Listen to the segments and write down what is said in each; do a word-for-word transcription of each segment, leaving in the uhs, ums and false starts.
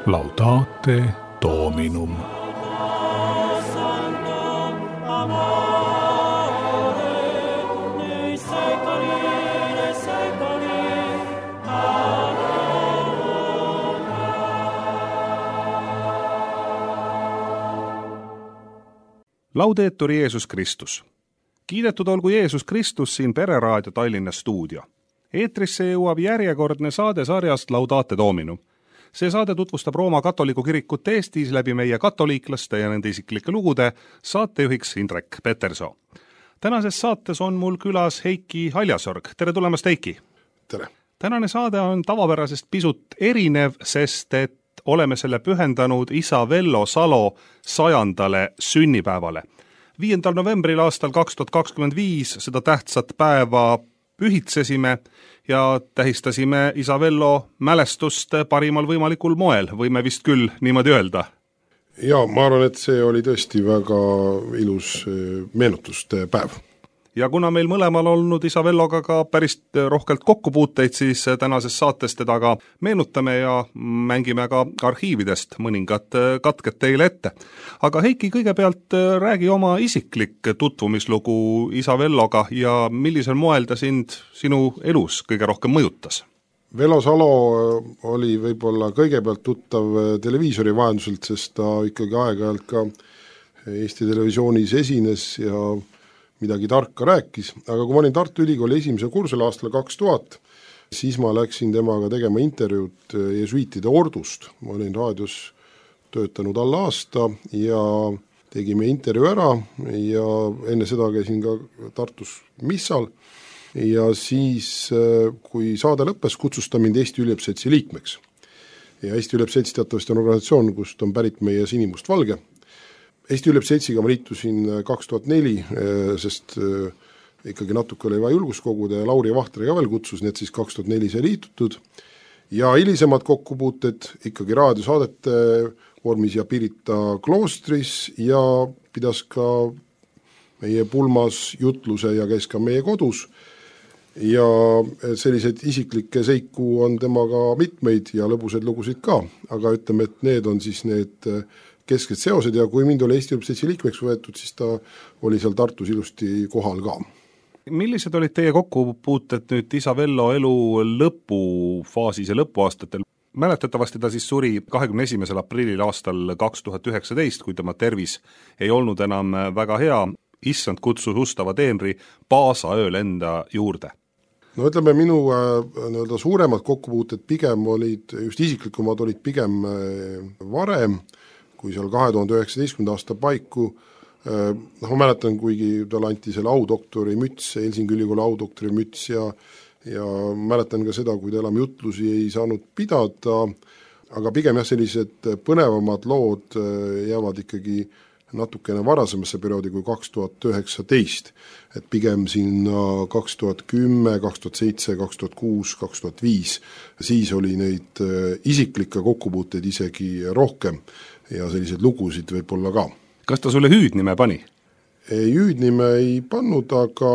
Laudate Dominum. Laudetur Jeesus Kristus. Kiidetud olgu Jeesus Kristus siin Pereraadio Tallinna stuudio. Eetrisse jõuab järjekordne saade sarjast Laudate Dominum. See saade tutvustab Rooma katoliku kirikut Eestis läbi meie katoliiklaste ja nende isiklike lugude, saatejuhiks Indrek Petersoo. Tänases saates on mul külas Heiki Haljasorg. Tere tulemast, Heiki! Tere! Tänane saade on tavapärasest pisut erinev, sest et oleme selle pühendanud isa Vello Salo sajandale sünnipäevale. viiendal novembril aastal kaks tuhat kakskümmend viis seda tähtsat päeva pühitsesime ja tähistasime isa Vello mälestust parimal võimalikul moel, võime vist küll niimoodi öelda. Ja ma arvan, et see oli tõesti väga ilus meenutuste päev. Ja kuna meil mõlemal olnud isa Velloga ka päris rohkelt kokkupuuteid, siis tänases saates teda ka meenutame ja mängime ka arhiividest mõningad katked teile ette. Aga Heiki, kõigepealt räägi oma isiklik tutvumislugu isa Velloga ja millisel moel ta sind sinu elus kõige rohkem mõjutas? Vello Salo oli võib-olla kõigepealt tuttav televiisori vahenduselt, sest ta ikkagi aeg-ajalt ka Eesti Televisioonis esines ja midagi tarka rääkis, aga kui ma olin Tartu Ülikooli esimese kursel aastal kaks tuhat, siis ma läksin temaga tegema intervjuud jesuiitide ordust. Ma olin raadios töötanud alla aasta ja tegime intervjuu ära ja enne seda käisin ka Tartus missal ja siis, kui saade lõppes, kutsus ta mind Eesti Üliõpilasseltsi liikmeks. Ja Eesti Üliõpilasselts teatavasti on organisatsioon, kust on pärit meie sinimustvalge. Eesti Üliõpilasseltsiga ma liitusin kaks tuhat neli, sest ikkagi natuke oli vaja julgust koguda ja Lauri Vahtriga veel kutsus, nii et siis kaks tuhat neli see liitutud. Ja hilisemad kokkupuuted ikkagi raadiosaadete vormis ja Pirita kloostris ja pidas ka meie pulmas jutluse ja käis ka meie kodus. Ja sellised isiklikke seiku on temaga mitmeid ja lõbusaid lugusid ka, aga ütleme, et need on siis need kesked seosed ja kui mind oli Eesti Üliõpilasseltsi liikmeks võetud, siis ta oli seal Tartus ilusti kohal ka. Millised olid teie kokkupuuted nüüd isa Vello elu lõpufaasis ja lõpuaastatel? Mäletatavasti ta siis suri kahekümne esimesel aprillil aastal kaks tuhat üheksateist, kui tema tervis ei olnud enam väga hea. Issand kutsus ustava teenri Paasa ööl enda juurde. No ütleme, minu äh, suuremad kokkupuuted pigem olid, just isiklikumad olid pigem äh, varem, kui seal kahe tuhande üheksateistkümnenda aasta paiku, noh ma mäletan, kuigi tal anti selle audoktori müts, Helsingi Ülikooli audoktori müts ja, ja mäletan ka seda, kui ta enam jutlusi ei saanud pidada, aga pigem jah, sellised põnevamad lood jäävad ikkagi natukene varasemasse perioodi kui kaks tuhat üheksateist, et pigem sinna kaks tuhat kümme, kaks tuhat seitse, kaks tuhat kuus, kaks tuhat viis, siis oli neid isiklikke kokkupuuteid isegi rohkem ja selliseid lugusid võib-olla ka. Kas ta sulle hüüdnime pani? Ei, hüüdnime ei pannud, aga,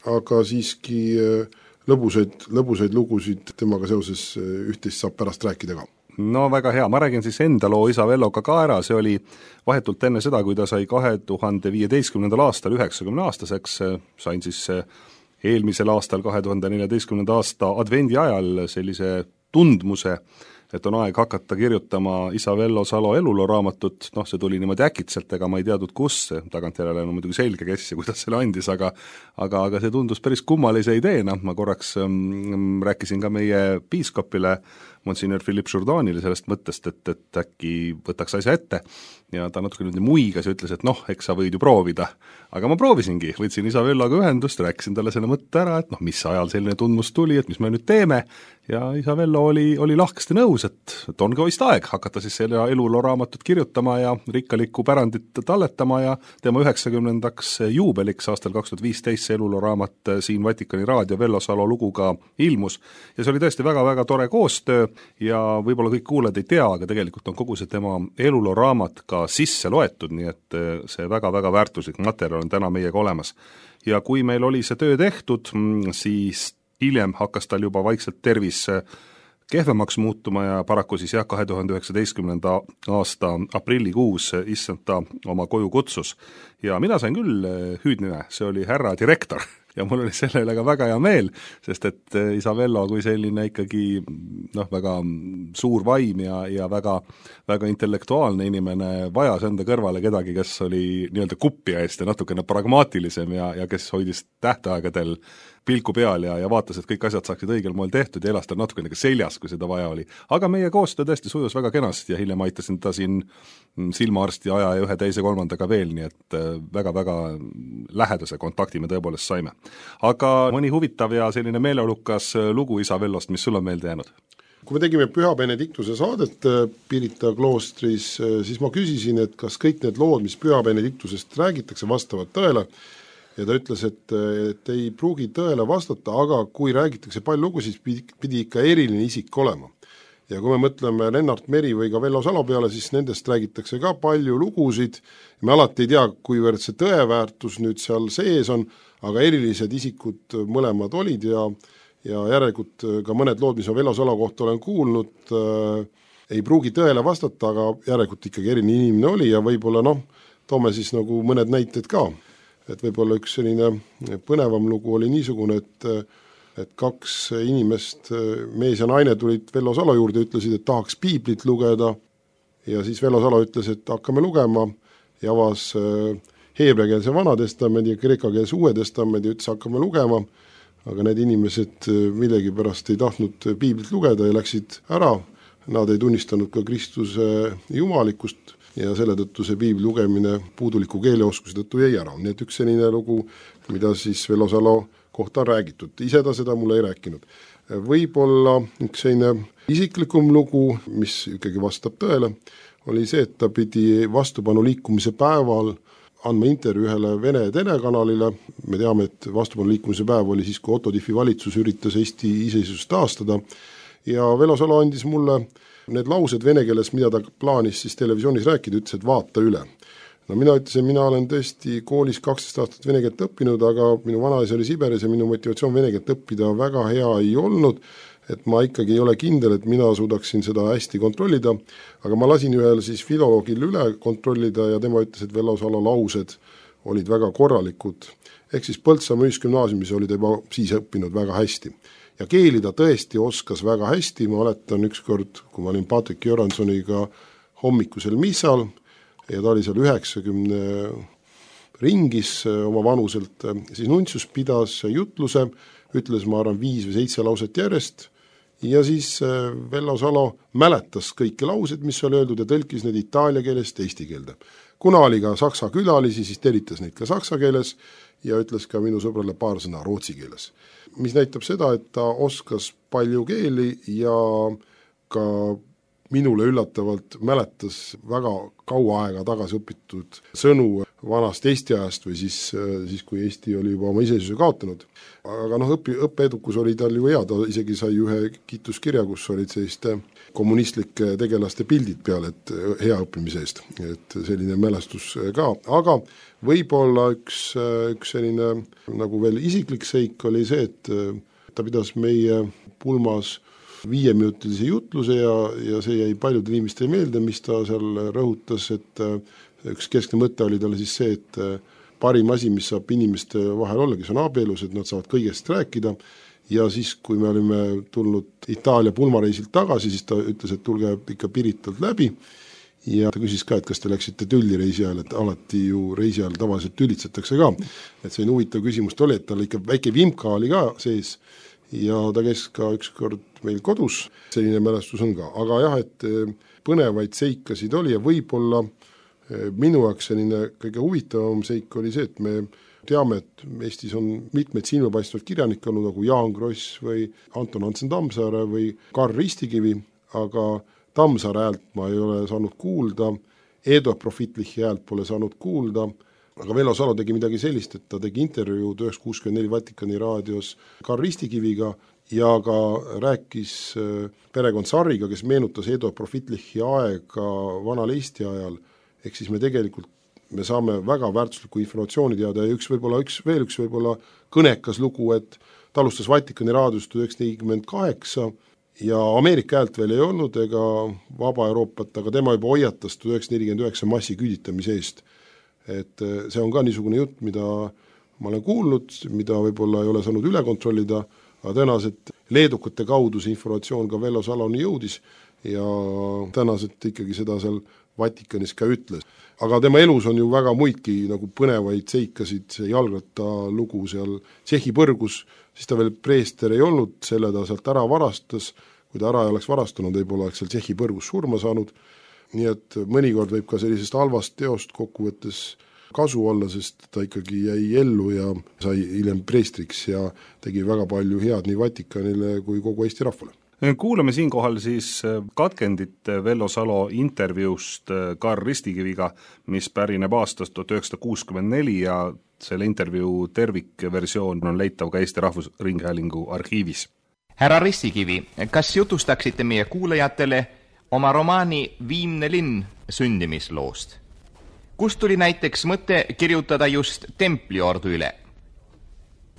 aga siiski lõbusaid, lõbusaid lugusid temaga seoses üht-teist saab pärast rääkida ka. No väga hea, ma räägin siis enda loo isa Velloga ka ära, see oli vahetult enne seda, kui ta sai kahe tuhande viieteistkümnendal aastal üheksakümne aastaseks, sain siis eelmisel aastal kahe tuhande neljateistkümnenda aasta advendi ajal sellise tundmuse, et on aeg hakata kirjutama isa Vello Salo eluloraamatut, noh see tuli niimoodi äkitselt, ega ma ei teadnud kus, tagantjärele on muidugi selge, kes ja kuidas selle andis, aga, aga, aga see tundus päris kummalise ideena, ma korraks ähm, rääkisin ka meie piiskopile, Monsignor Philipp Jourdanile sellest mõttest, et, et äkki võtaks asja ette ja ta natuke nüüd muigas ja ütles, et noh, eks sa võid ju proovida. Aga ma proovisingi, võtsin isa Velloga ühendust, rääkisin talle selle mõtte ära, et noh, mis ajal selline tundmus tuli, et mis me nüüd teeme ja isa Vello oli, oli lahkesti nõus, et, et on ka vist aeg hakata siis selle eluloraamatut kirjutama ja rikkalikku pärandit talletama ja tema üheksakümnendaks juubeliks aastal kaks tuhat viisteist see eluloraamat siin Vatikani raadio Vello Salo luguga ilmus ja see oli tõesti väga-väga tore koostöö ja võib-olla kõik kuulajad ei tea, aga tegelikult on kogu see tema eluloraamat ka sisse loetud, nii et see väga-väga väärtuslik materjal on täna meiega olemas. Ja kui meil oli see töö tehtud, siis hiljem hakkas tal juba vaikselt tervis kehvemaks muutuma ja paraku siis jah, kahe tuhande üheksateistkümnenda aasta aprillikuus issand ta oma koju kutsus. Ja mina sain küll hüüdnime, see oli härra direktor. Ja mul oli selle üle ka väga hea meel, sest et isa Vello kui selline ikkagi noh, väga suur vaim ja, ja väga, väga intellektuaalne inimene vajas enda kõrvale kedagi, kes oli nii-öelda kuppia eest ja natukene pragmaatilisem ja, ja kes hoidis tähtaegadel pilku peal ja, ja vaatas, et kõik asjad saaksid õigel moel tehtud ja elas tal natukene ka seljas, kui seda vaja oli. Aga meie koostöö tõesti sujus väga kenasti ja hiljem aitasin ta siin silmaarsti aja ja ühe teise kolmandaga veel, nii et väga-väga lähedase kontakti me tõepoolest saime. Aga mõni huvitav ja selline meeleolukas lugu isa Vellost, mis sul on meelde jäänud? Kui me tegime Püha Benediktuse saadet Pirita kloostris, siis ma küsisin, et kas kõik need lood, mis Püha Benediktusest räägitakse, vastavad tõele. Ja ta ütles, et, et ei pruugi tõele vastata, aga kui räägitakse palju lugu, siis pidi ikka eriline isik olema. Ja kui me mõtleme Lennart Meri või ka Vello Salo peale, siis nendest räägitakse ka palju lugusid. Me alati ei tea, kuivõrd see tõeväärtus nüüd seal sees on, aga erilised isikud mõlemad olid ja, ja järelikult ka mõned lood, mis ma Vello Salo kohta olen kuulnud, äh, ei pruugi tõele vastata, aga järelikult ikkagi eriline inimene oli ja võib-olla noh, toome siis nagu mõned näited ka. Et võib-olla üks selline põnevam lugu oli niisugune, et, et kaks inimest, mees ja naine tulid Vello Salo juurde ja ütlesid, et tahaks piiblit lugeda ja siis Vello Salo ütles, et hakkame lugema ja avas heebreakeelse vana testamendi ja kreekakeelse uue testamendi ja ütles, hakkame lugema, aga need inimesed millegipärast ei tahtnud piiblit lugeda ja läksid ära, nad ei tunnistanud ka Kristuse jumalikkust ja selle tõttu see piibli lugemine puuduliku keeleoskuse tõttu jäi ära. Nii et üks selline lugu, mida siis Vello Salo kohta on räägitud. Ise ta seda mulle ei rääkinud. Võib-olla üks selline isiklikum lugu, mis ikkagi vastab tõele, oli see, et ta pidi vastupanu liikumise päeval andma intervjuu ühele Vene telekanalile. Me teame, et vastupanu liikumise päev oli siis, kui Otto Tiefi valitsus üritas Eesti iseseisvust taastada ja Vello Salo andis mulle need laused vene keeles, mida ta plaanis siis televisioonis rääkida, ütles, et vaata üle. No mina ütlesin, mina olen tõesti koolis kaksteist aastat vene keelt õppinud, aga minu vanaisa oli Siberis ja minu motivatsioon vene keelt õppida väga hea ei olnud, et ma ikkagi ei ole kindel, et mina suudaksin seda hästi kontrollida, aga ma lasin ühel siis filoloogil üle kontrollida ja tema ütles, et Vello Salo laused olid väga korralikud. Ehk siis Põltsamaa ühisgümnaasiumis oli ta juba siis õppinud väga hästi. Ja keeli ta tõesti oskas väga hästi, ma oletan ükskord, kui ma olin Patrik Joransoniga hommikusel missal ja ta oli seal üheksakümne ringis oma vanuselt, siis Nuntsus pidas jutluse, ütles ma arvan viis või seitse lauset järjest ja siis Vello Salo mäletas kõiki laused, mis oli öeldud ja tõlkis need itaalia keelest eesti keelde. Kuna oli ka saksa külalisi, siis telitas neid ka saksa keeles ja ütles ka minu sõbrale paar sõna rootsi keeles. Mis näitab seda, et ta oskas palju keeli ja ka minule üllatavalt mäletas väga kaua aega tagasi õpitud sõnu vanast Eesti ajast või siis, siis kui Eesti oli juba oma iseseisvuse kaotanud. Aga noh, õpi, õppeedukus oli tal ju hea, ta isegi sai ühe kiituskirja, kus olid selliste kommunistlike tegelaste pildid peal, et hea õppimise eest, et selline mälestus ka, aga võib-olla üks, üks selline nagu veel isiklik seik oli see, et ta pidas meie pulmas viieminutilise jutluse ja, ja see jäi paljudele inimestele meelde, mis ta seal rõhutas, et üks keskne mõte oli talle siis see, et parim asi, mis saab inimeste vahel olla, kes on abielus, et nad saavad kõigest rääkida ja siis, kui me olime tulnud Itaalia pulmareisilt tagasi, siis ta ütles, et tulge ikka Piritalt läbi ja ta küsis ka, et kas te läksite tülli reisi ajal, et alati ju reisi ajal tavaliselt tülitsetakse ka, et see huvitav küsimust oli, et tal ikka väike vimka oli ka sees ja ta käis ka ükskord meil kodus, selline mälestus on ka, aga jah, et põnevaid seikasid oli ja võib-olla minu jaoks selline kõige huvitavam seik oli see, et me teame, et Eestis on mitmeid silmapaistvad kirjanikke olnud nagu Jaan Kross või Anton Hansen Tammsaare või Karl Ristikivi, aga Tammsaare häält ma ei ole saanud kuulda, Eduard Profitlichi häält pole saanud kuulda, aga Vello Salo tegi midagi sellist, et ta tegi intervjuu tuhat üheksasada kuuskümmend neli Vatikani raadios Karl Ristikiviga ja ka rääkis perekond Sarriga, kes meenutas Eduard Profitlichi aega vanal Eesti ajal, ehk siis me tegelikult me saame väga väärtuslikku informatsiooni teada ja üks võib-olla üks, veel üks võib-olla kõnekas lugu, et ta alustas Vatikani raadios tuhat üheksasada nelikümmend kaheksa ja Ameerika häält veel ei olnud ega Vaba Euroopat, aga tema juba hoiatas tuhat üheksasada nelikümmend üheksa massiküüditamise eest. Et see on ka niisugune jutt, mida ma olen kuulnud, mida võib-olla ei ole saanud üle kontrollida, aga tõenäoliselt leedukate kaudu see informatsioon ka Vello Saloni jõudis ja tõenäoliselt ikkagi seda seal Vatikanis ka ütles. Aga tema elus on ju väga muidki nagu põnevaid seikasid, see jalgratta lugu seal Tšehhi põrgus, siis ta veel preester ei olnud, selle ta sealt ära varastas, kui ta ära ei oleks varastanud, võib-olla oleks seal Tšehhi põrgus surma saanud, nii et mõnikord võib ka sellisest halvast teost kokkuvõttes kasu olla, sest ta ikkagi jäi ellu ja sai hiljem preestriks ja tegi väga palju head nii Vatikanile kui kogu Eesti rahvale. Kuulame siinkohal siis katkendit Vello Salo intervjuust Karl Ristikiviga, mis pärineb aastast tuhat üheksasada kuuskümmend neli ja selle intervjuu tervikversioon on leitav ka Eesti Rahvusringhäälingu arhiivis. Härra Ristikivi, kas jutustaksite meie kuulajatele oma romaani Viimne linn sündimisloost? Kust tuli näiteks mõte kirjutada just Templiordu üle?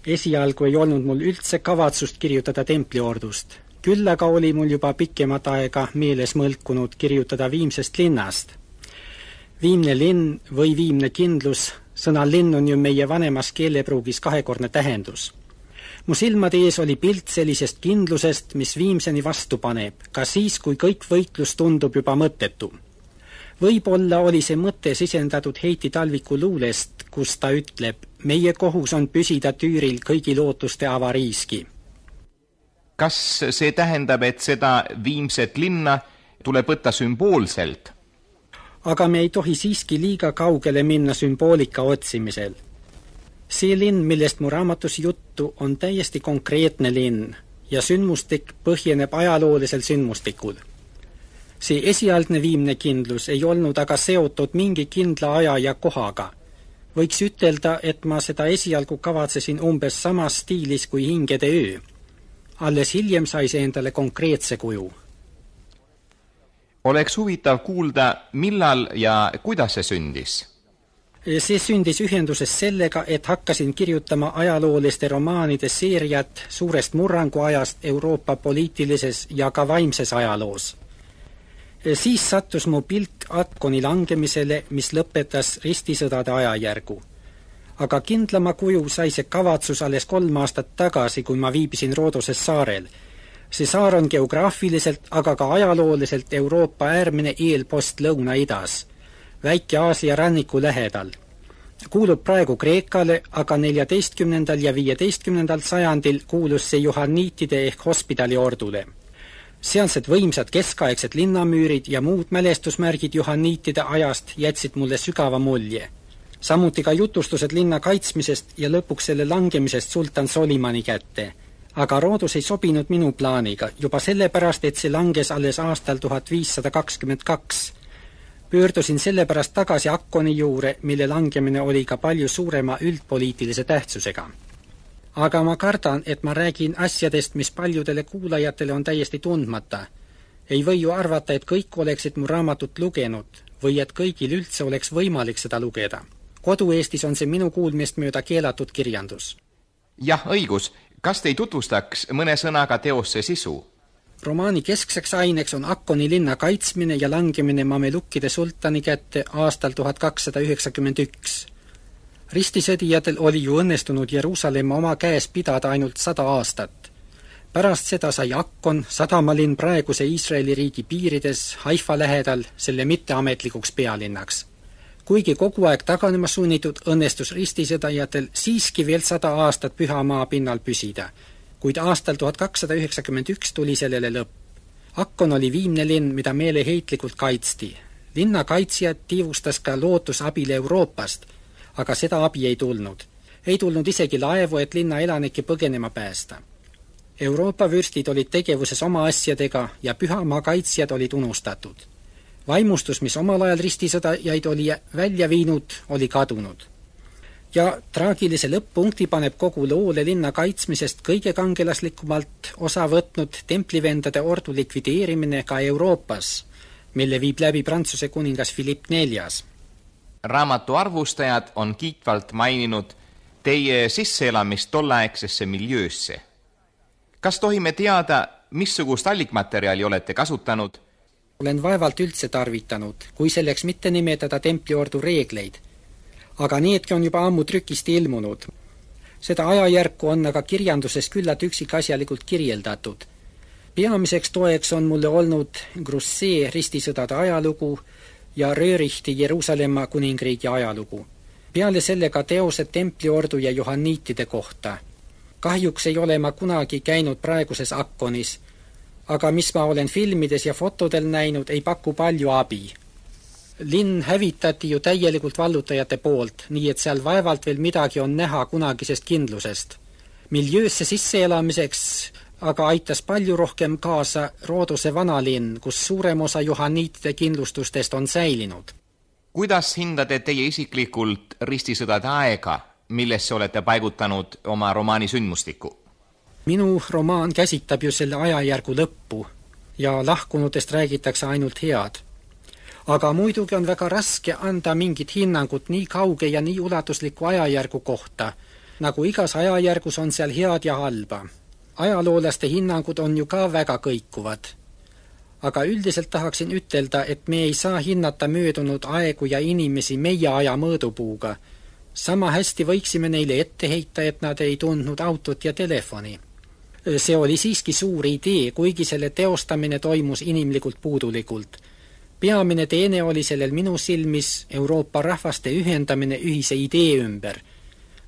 Esialgu ei olnud mul üldse kavatsust kirjutada Templiordust. Küll aga oli mul juba pikemat aega meeles mõlkunud kirjutada Viimsest linnast. Viimne linn või viimne kindlus, sõna linn on ju meie vanemas keelepruugis kahekordne tähendus. Mu silmade ees oli pilt sellisest kindlusest, mis Viimseni vastu paneb, ka siis, kui kõik võitlus tundub juba mõttetu. Võib-olla oli see mõte sisendatud Heiti Talviku luulest, kus ta ütleb, meie kohus on püsida tüüril kõigi lootuste avariiski. Kas see tähendab, et seda Viimset linna tuleb võtta sümboolselt? Aga me ei tohi siiski liiga kaugele minna sümboolika otsimisel. See linn, millest mu raamatus juttu, on täiesti konkreetne linn ja sündmustik põhjeneb ajaloolisel sündmustikul. See esialgne viimne kindlus ei olnud aga seotud mingi kindla aja ja kohaga. Võiks ütelda, et ma seda esialgu kavatsesin umbes samas stiilis kui Hingede öö. Alles hiljem sai see endale konkreetse kuju. Oleks huvitav kuulda, millal ja kuidas see sündis? See sündis ühenduses sellega, et hakkasin kirjutama ajalooliste romaanide seeriat suurest murranguajast Euroopa poliitilises ja ka vaimses ajaloos. Siis sattus mu pilk Akkoni langemisele, mis lõpetas ristisõdade ajajärgu. Aga kindlama kuju sai see kavatsus alles kolm aastat tagasi, kui ma viibisin Roodoses saarel. See saar on geograafiliselt, aga ka ajalooliselt Euroopa äärmine eelpost Lõuna-idas, väike Aasia ranniku lähedal. Kuulub praegu Kreekale, aga neljateistkümnendal ja viieteistkümnendal sajandil kuulus see Johanniitide ehk hospidali ordule. Sealsed võimsad keskaegsed linnamüürid ja muud mälestusmärgid Johanniitide ajast jätsid mulle sügava mulje. Samuti ka jutustused linna kaitsmisest ja lõpuks selle langemisest sultan Solimani kätte. Aga Roodus ei sobinud minu plaaniga, juba sellepärast, et see langes alles aastal tuhat viissada kakskümmend kaks. Pöördusin sellepärast tagasi Akkoni juure, mille langemine oli ka palju suurema üldpoliitilise tähtsusega. Aga ma kardan, et ma räägin asjadest, mis paljudele kuulajatele on täiesti tundmata. Ei või ju arvata, et kõik oleksid mu raamatut lugenud või et kõigil üldse oleks võimalik seda lugeda. Kodu-Eestis on see minu kuulmist mööda keelatud kirjandus. Jah, õigus. Kas te ei tutvustaks mõne sõnaga teosse sisu? Romaani keskseks aineks on Akkoni linna kaitsmine ja langemine Mamelukkide sultani kätte aastal tuhat kakssada üheksakümmend üks. Ristisõdijatel oli ju õnnestunud Jeruusalemma oma käes pidada ainult sada aastat. Pärast seda sai Akkon, sadamalinn praeguse Iisraeli riigi piirides, Haifa lähedal, selle mitteametlikuks pealinnaks. Kuigi kogu aeg taganema sunnitud, õnnestus ristisõdajatel siiski veel sada aastat püha maa pinnal püsida, kuid aastal tuhat kakssada üheksakümmend üks tuli sellele lõpp. Akkon oli viimne linn, mida meeleheitlikult kaitsti. Linna kaitsjad tiivustas ka lootus abile Euroopast, aga seda abi ei tulnud. Ei tulnud isegi laevu, et linna elanike põgenema päästa. Euroopa vürstid olid tegevuses oma asjadega ja pühamaa kaitsjad olid unustatud. Vaimustus, mis omal ajal ristisõdajaid oli välja viinud, oli kadunud. Ja traagilise lõpp-punkti paneb kogu loole linna kaitsmisest kõige kangelaslikumalt osa võtnud templivendade ordu likvideerimine ka Euroopas, mille viib läbi Prantsuse kuningas Philipp neljas. Raamatu arvustajad on kiitvalt maininud teie sisseelamist tolleaegsesse miljöösse. Kas tohime teada, missugust allikmaterjali olete kasutanud? Olen vaevalt üldse tarvitanud, kui selleks mitte nimetada templiordu reegleid. Aga needki on juba ammu trükist ilmunud. Seda ajajärku on aga kirjanduses küllalt üksikasjalikult kirjeldatud. Peamiseks toeks on mulle olnud Grussee ristisõdade ajalugu ja Röörichti Jeruusalemma kuningriigi ajalugu. Peale sellega teosed templiordu ja johanniitide kohta. Kahjuks ei ole ma kunagi käinud praeguses Akkonis, aga mis ma olen filmides ja fotodel näinud, ei paku palju abi. Linn hävitati ju täielikult vallutajate poolt, nii et seal vaevalt veel midagi on näha kunagisest kindlusest. Miljöösse sisseelamiseks aga aitas palju rohkem kaasa Roodose vanalinn, kus suurem osa johanniitide kindlustustest on säilinud. Kuidas hindate teie isiklikult ristisõdade aega, millesse olete paigutanud oma romaani sündmustiku? Minu romaan käsitab ju selle ajajärgu lõppu ja lahkunutest räägitakse ainult head. Aga muidugi on väga raske anda mingit hinnangut nii kauge ja nii ulatusliku ajajärgu kohta, nagu igas ajajärgus on seal head ja halba. Ajaloolaste hinnangud on ju ka väga kõikuvad. Aga üldiselt tahaksin ütelda, et me ei saa hinnata möödunud aegu ja inimesi meie aja mõõdupuuga. Sama hästi võiksime neile ette heita, et nad ei tundnud autot ja telefoni. See oli siiski suur idee, kuigi selle teostamine toimus inimlikult puudulikult. Peamine teene oli sellel minu silmis Euroopa rahvaste ühendamine ühise idee ümber.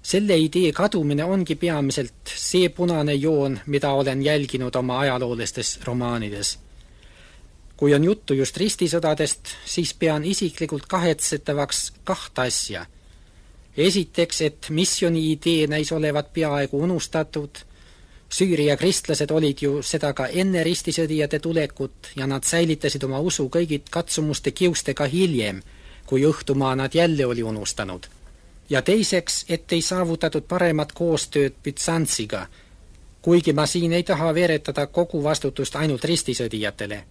Selle idee kadumine ongi peamiselt see punane joon, mida olen jälginud oma ajaloolistes romaanides. Kui on juttu just ristisõdadest, siis pean isiklikult kahetsetavaks kahte asja. Esiteks, et missiooni idee näis olevat peaaegu unustatud. Süüria kristlased olid ju seda ka enne ristisõdijate tulekut ja nad säilitasid oma usu kõigid katsumuste kiustega hiljem, kui õhtumaa nad jälle oli unustanud. Ja teiseks, et ei saavutatud paremat koostööd Bütsantsiga, kuigi ma siin ei taha veeretada kogu vastutust ainult ristisõdijatele.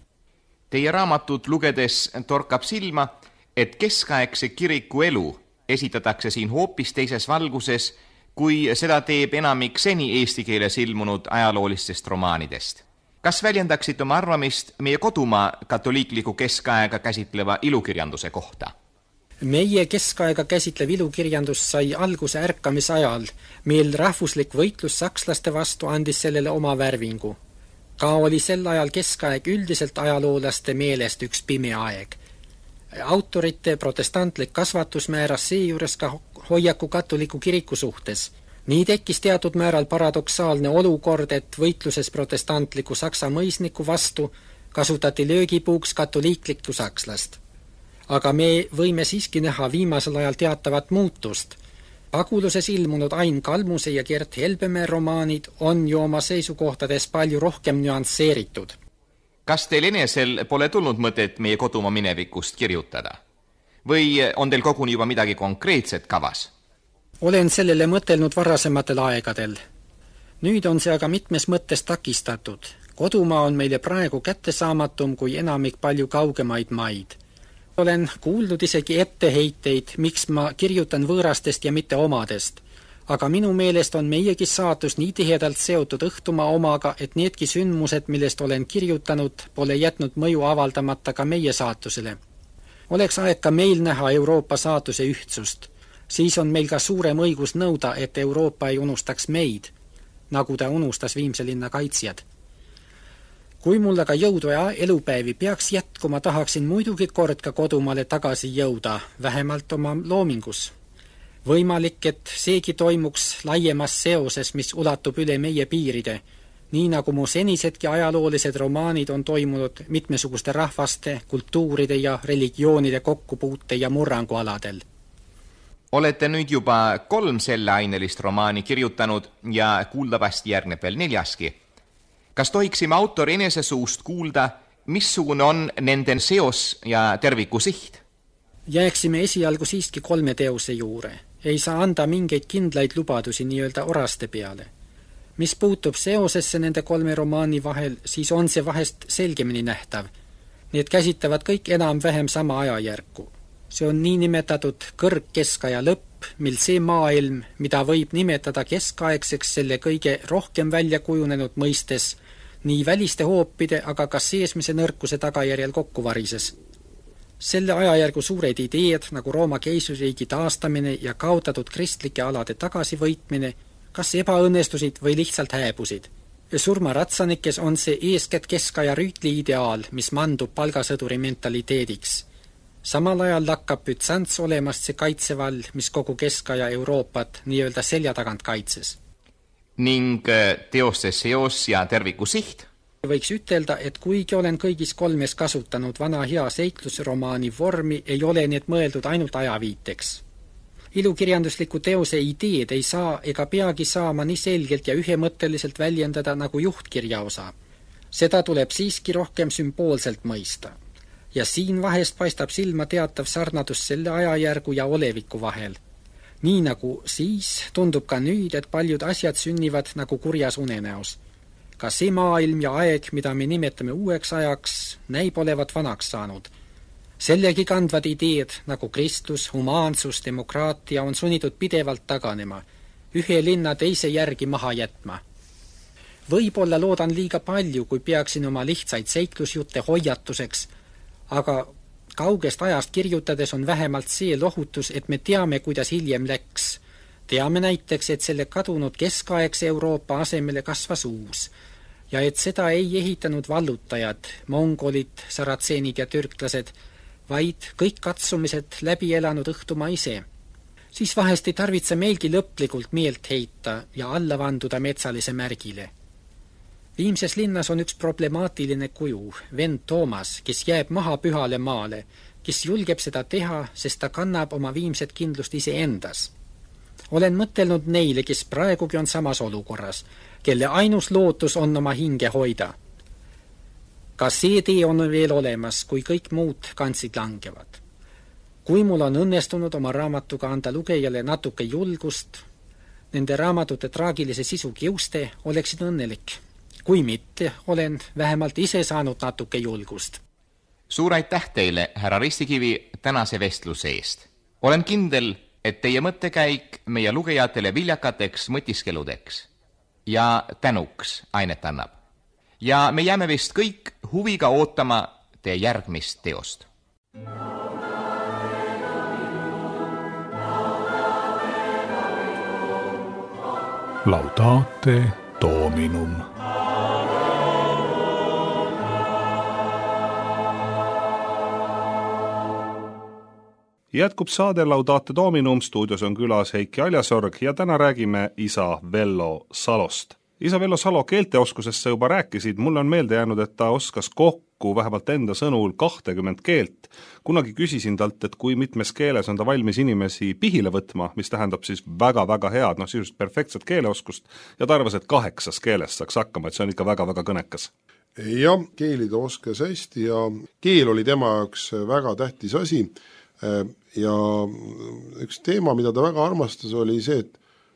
Teie raamatut lugedes torkab silma, et keskaegse kiriku elu esitatakse siin hoopis teises valguses, kui seda teeb enamik seni eesti keeles ilmunud ajaloolistest romaanidest. Kas väljendaksite oma arvamist meie kodumaa katoliikliku keskaega käsitleva ilukirjanduse kohta? Meie keskaega käsitlev ilukirjandus sai alguse ärkamisajal, mil rahvuslik võitlus sakslaste vastu andis sellele oma värvingu. Ka oli sel ajal keskaeg üldiselt ajaloolaste meelest üks pime aeg. Autorite protestantlik kasvatus määras seejuures ka hoiaku katoliku kiriku suhtes. Nii tekkis teatud määral paradoksaalne olukord, et võitluses protestantliku saksa mõisniku vastu kasutati löögipuuks katoliiklikku sakslast. Aga me võime siiski näha viimasel ajal teatavat muutust. Paguluses ilmunud Ain Kalmuse ja Gert Helbemäe romaanid on ju oma seisukohtades palju rohkem nüansseeritud. Kas teil enesel pole tulnud mõtet meie kodumaa minevikust kirjutada? Või on teil koguni juba midagi konkreetset kavas? Olen sellele mõtelnud varasematel aegadel. Nüüd on see aga mitmes mõttes takistatud. Kodumaa on meile praegu kättesaamatum kui enamik palju kaugemaid maid. Olen kuuldud isegi etteheiteid, miks ma kirjutan võõrastest ja mitte omadest. Aga minu meelest on meiegi saatus nii tihedalt seotud õhtumaa omaga, et needki sündmused, millest olen kirjutanud, pole jätnud mõju avaldamata ka meie saatusele. Oleks aeg ka meil näha Euroopa saatuse ühtsust. Siis on meil ka suurem õigus nõuda, et Euroopa ei unustaks meid, nagu ta unustas Viimse linna kaitsjad. Kui mul aga jõudu ja elupäevi peaks jätkuma, tahaksin muidugi kord ka kodumaale tagasi jõuda, vähemalt oma loomingus. Võimalik, et seegi toimuks laiemas seoses, mis ulatub üle meie piiride, nii nagu mu senisedki ajaloolised romaanid on toimunud mitmesuguste rahvaste, kultuuride ja religioonide kokkupuute ja murrangualadel. Olete nüüd juba kolm selleainelist romaani kirjutanud ja kuuldavasti järgneb veel neljaski. Kas tohiksime autori enese suust kuulda, missugune on nende seos ja terviku siht? Jääksime esialgu siiski kolme teose juure. Ei saa anda mingeid kindlaid lubadusi nii-öelda oraste peale. Mis puutub seosesse nende kolme romaani vahel, siis on see vahest selgemini nähtav. Need käsitavad kõik enam-vähem sama ajajärku. See on nii nimetatud kõrgkeskaja lõpp, mil see maailm, mida võib nimetada keskaegseks selle kõige rohkem välja kujunenud mõistes, nii väliste hoopide, aga ka seesmise nõrkuse tagajärjel kokku varises. Selle ajajärgu suured ideed, nagu Rooma keisririigi taastamine ja kaotatud kristlike alade tagasivõitmine, kas ebaõnnestusid või lihtsalt hääbusid. Surmaratsanikes on see eeskätt keskaja rüütli ideaal, mis mandub palgasõduri mentaliteediks. Samal ajal lakkab Bütsants olemast see kaitsevall, mis kogu keskaja Euroopat nii-öelda selja tagant kaitses. Ning teoste seos ja terviku siht? Võiks ütelda, et kuigi olen kõigis kolmes kasutanud vana hea seiklusromaani vormi, ei ole need mõeldud ainult ajaviiteks. Ilukirjandusliku teose ideed ei saa ega peagi saama nii selgelt ja ühemõtteliselt väljendada nagu juhtkirja osa. Seda tuleb siiski rohkem sümboolselt mõista. Ja siin vahest paistab silma teatav sarnadus selle ajajärgu ja oleviku vahel. Nii nagu siis tundub ka nüüd, et paljud asjad sünnivad nagu kurjas unenäos. Ka see maailm ja aeg, mida me nimetame uueks ajaks, näib olevat vanaks saanud. Sellegi kandvad ideed, nagu kristlus, humaansus, demokraatia on sunnitud pidevalt taganema, ühe linna teise järgi maha jätma. Võib-olla loodan liiga palju, kui peaksin oma lihtsaid seiklusjutte hoiatuseks, aga kaugest ajast kirjutades on vähemalt see lohutus, et me teame, kuidas hiljem läks. Teame näiteks, et selle kadunud keskaegse Euroopa asemele kasvas uus ja et seda ei ehitanud vallutajad, mongolid, saratseenid ja türklased, vaid kõik katsumised läbi elanud õhtumaa ise. Siis vahest ei tarvitse meilgi lõplikult meelt heita ja alla vanduda metsalise märgile. Viimses linnas on üks problemaatiline kuju, vend Toomas, kes jääb maha pühale maale, kes julgeb seda teha, sest ta kannab oma viimset kindlust ise endas. Olen mõtelnud neile, kes praegugi on samas olukorras, kelle ainus lootus on oma hinge hoida. Ka see tee on veel olemas, kui kõik muud kantsid langevad. Kui mul on õnnestunud oma raamatuga anda lugejale natuke julgust, nende raamatute traagilise sisu kiuste, oleksin õnnelik. Kui mitte, olen vähemalt ise saanud natuke julgust. Suur aitäh teile, härra Ristikivi, tänase vestluse eest. Olen kindel, et teie mõttekäik meie lugejatele viljakateks mõtiskeludeks ja tänuks ainet annab. Ja me jääme vist kõik huviga ootama teie järgmist teost. Laudate Dominum. Jätkub saade Laudate Dominum, stuudios on külas Heiki Aljasorg ja täna räägime isa Vello Salost. Isa Vello Salo keelteoskusest sa juba rääkisid, mulle on meelde jäänud, et ta oskas kokku vähemalt enda sõnul kahtekümmend keelt. Kunagi küsisin talt, et kui mitmes keeles on ta valmis inimesi pihile võtma, mis tähendab siis väga-väga head, noh sisust perfektset keeleoskust, ja ta arvas, et kaheksas keeles saaks hakkama, et see on ikka väga-väga kõnekas. Jah, keeli ta oskas hästi ja keel oli tema jaoks väga tähtis asi ja üks teema, mida ta väga armastas, oli see, et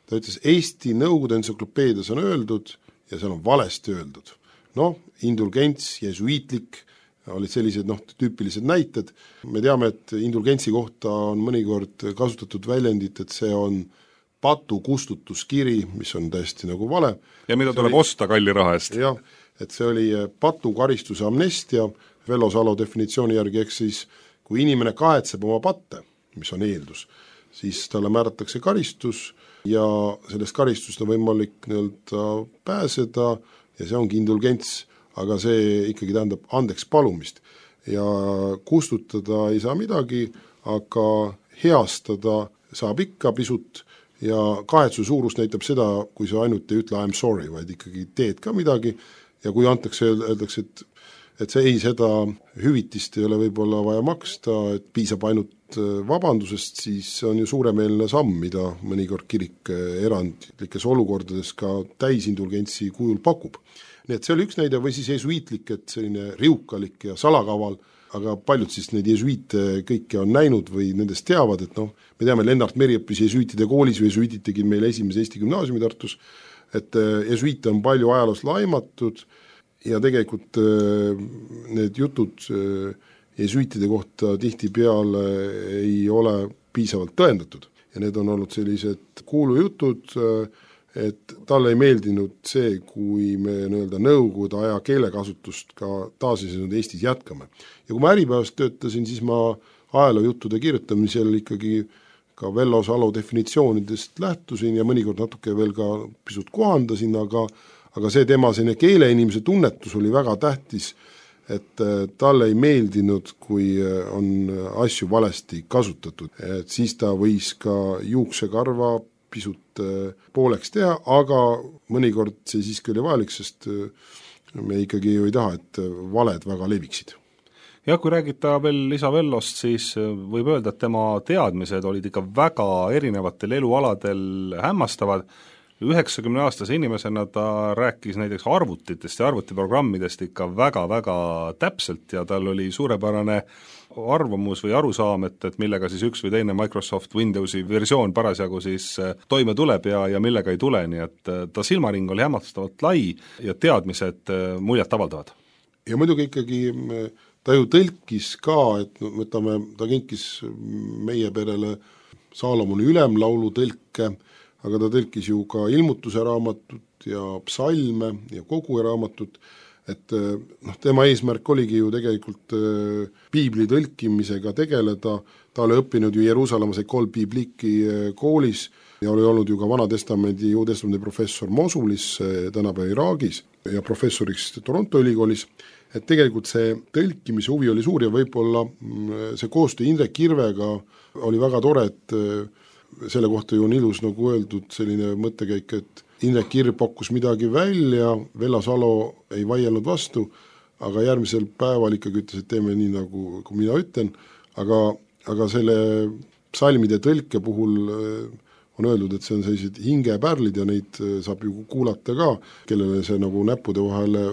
ta ütles, Eesti Nõukogude entsüklopeedias on öeldud ja seal on valesti öeldud. Noh, indulgents, jesuiitlik, olid sellised noh, tüüpilised näited. Me teame, et indulgentsi kohta on mõnikord kasutatud väljendit, et see on patu kustutuskiri, mis on täiesti nagu vale. Ja mida tuleb oli, osta kalli raha eest. Jah, et see oli patu karistuse amnestia, Vello Salo definitsiooni järgi, eks siis kui inimene kahetseb oma patte, mis on eeldus, siis talle määratakse karistus ja sellest karistust on võimalik nii-öelda pääseda ja see ongi indulgents, aga see ikkagi tähendab andeks palumist. Ja kustutada ei saa midagi, aga heastada saab ikka pisut ja kahetsuse suurus näitab seda, kui sa ainult ei ütle I am sorry, vaid ikkagi teed ka midagi ja kui antakse, öeldakse, et et see ei, seda hüvitist ei ole võib-olla vaja maksta, et piisab ainult vabandusest, siis see on ju suuremeelne samm, mida mõnikord kirik erandlikes olukordades ka täisindulgentsi kujul pakub. Nii et see oli üks näide või siis jesuiitlik, et selline riukalik ja salakaval, aga paljud siis neid jesuiite kõike on näinud või nendest teavad, et noh, me teame, Lennart Meri õppis jesuiitide koolis, jesuiitid tegid meil esimese Eesti gümnaasiumi Tartus, et jesuiite on palju ajaloos laimatud ja tegelikult need jutud jesuiitide kohta tihtipeale ei ole piisavalt tõendatud ja need on olnud sellised kuulujutud, et talle ei meeldinud see, kui me nii-öelda nõukogude aja keelekasutust ka taasiseseisvunud Eestis jätkame. Ja kui ma Äripäevas töötasin, siis ma ajaloojuttude kirjutamisel ikkagi ka Vello Salo definitsioonidest lähtusin ja mõnikord natuke veel ka pisut kohandasin, aga, aga see tema selline keeleinimese tunnetus oli väga tähtis, et talle ei meeldinud, kui on asju valesti kasutatud. Et siis ta võis ka juuksekarva pisut pooleks teha, aga mõnikord see siiski oli vajalik, sest me ikkagi ju ei taha, et valed väga leviksid. Ja kui räägita veel Isa Vellost, siis võib öelda, et tema teadmised olid ikka väga erinevatel elualadel hämmastavad. üheksakümne-aastase inimesena ta rääkis näiteks arvutitest ja arvutiprogrammidest ikka väga-väga täpselt ja tal oli suurepärane arvamus või arusaam, et, et millega siis üks või teine Microsoft Windowsi versioon parasjagu siis toime tuleb ja, ja millega ei tule, nii et ta silmaring oli hämmastavalt lai ja teadmised muljet avaldavad. Ja muidugi ikkagi ta ju tõlkis ka, et no, võtame, ta kinkis meie perele Saalomoni ülemlaulu tõlke, aga ta tõlkis ju ka ilmutuse raamatut ja psalme ja kogu raamatut, et noh, tema eesmärk oligi ju tegelikult piibli tõlkimisega tegeleda, ta oli õppinud ju Jeruusalemmas Ekol Bibliki koolis ja oli olnud ju ka Vana-testamendi, Uue-testamendi professor Mosulis, tänapäeva Iraagis ja professoriks Toronto ülikoolis, et tegelikult see tõlkimise huvi oli suur ja võib-olla see koostöö Indrek Kirvega oli väga tore, et selle kohta ju on ilus nagu öeldud selline mõttekäik, et Indrek Kirv pakkus midagi välja, Vello Salo ei vaielnud vastu, aga järgmisel päeval ikkagi ütles, et teeme nii, nagu kui mina ütlen, aga, aga selle psalmide tõlke puhul on öeldud, et see on sellised hingepärlid ja neid saab ju kuulata ka, kellele see nagu näppude vahele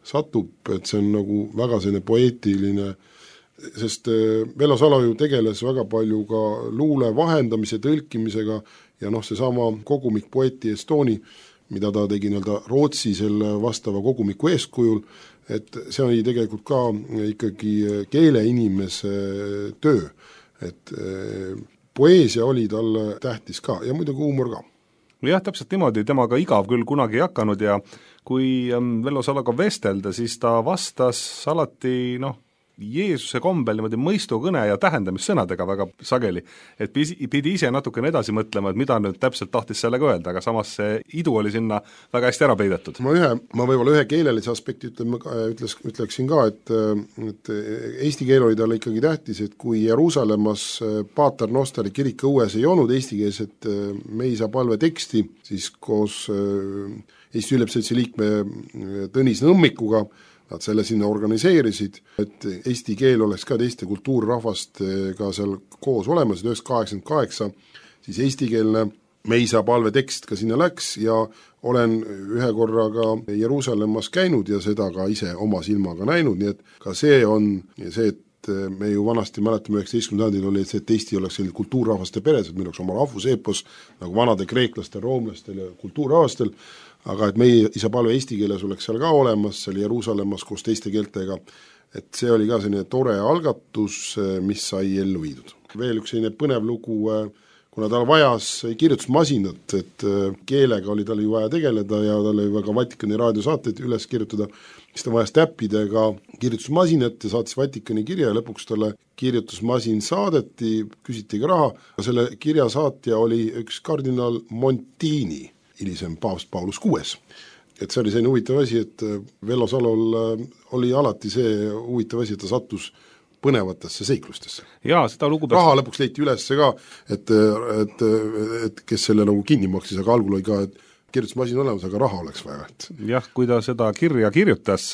satub, et see on nagu väga selline poeetiline, sest Vello Salo ju tegeles väga palju ka luule vahendamise, tõlkimisega ja noh, see sama kogumik Poeti Estooni, mida ta tegi nii-öelda Rootsi selle vastava kogumiku eeskujul, et see oli tegelikult ka ikkagi keeleinimese töö, et poeesia oli talle tähtis ka ja muidugi huumor ka. Jah, täpselt niimoodi, temaga igav küll kunagi ei hakanud ja kui Vello Saloga vestelda, siis ta vastas alati noh, Jeesuse kombel niimoodi mõistukõne ja tähendamissõnadega väga sageli, et pidi ise natukene edasi mõtlema, et mida nüüd täpselt tahtis sellega öelda, aga samas see idu oli sinna väga hästi ära peidetud. Ma, ühe, ma võib-olla ühe keelelise aspekti ütleme, ütles, ütleksin ka, et, et eesti keel oli talle ikkagi tähtis, et kui Jeruusalemmas Paater Nostari kirikõues ei olnud eestikeelset Meisa palve teksti, siis koos Eesti Ülepseltsi liikme Tõnis Nõmmikuga nad selle sinna organiseerisid, et eesti keel oleks ka teiste kultuurrahvastega seal koos olemas, üheksasada kaheksakümmend kaheksa, siis eestikeelne Meisa palve tekst ka sinna läks ja olen ühe korraga Jeruusalemmas käinud ja seda ka ise oma silmaga näinud, nii et ka see on see, et me ju vanasti mäletame üheksateistkümnendal sajandil oli see, et Eesti oleks selline kultuurrahvaste peres, et meil oleks oma rahvuseepos nagu vanade kreeklastel, roomlastel ja kultuurrahvastel, aga et meie isa palve eesti keeles oleks seal ka olemas, seal Jeruusalemmas koos teiste keeltega, et see oli ka selline tore algatus, mis sai ellu viidud. Veel üks selline põnev lugu, kuna tal vajas kirjutusmasinat, et keelega oli tal ju vaja tegeleda ja tal oli väga Vatikani raadiosaateid üles kirjutada, siis ta vajas täppidega kirjutusmasinat ja saatis Vatikani kirja ja lõpuks talle kirjutusmasin saadeti, küsiti ka raha, selle kirja saatja oli üks kardinal Montini, hilisem paavst Paulus kuues. Et see oli selline huvitav asi, et Vello Salol oli alati see huvitav asi, et ta sattus põnevatesse seiklustesse. Jaa, seda lugu raha lõpuks leiti üles ka, et, et, et kes selle nagu kinni maksis, aga algul oli ka, et kirjutusmasin olemas, aga raha oleks vaja. Et... jah, kui ta seda kirja kirjutas,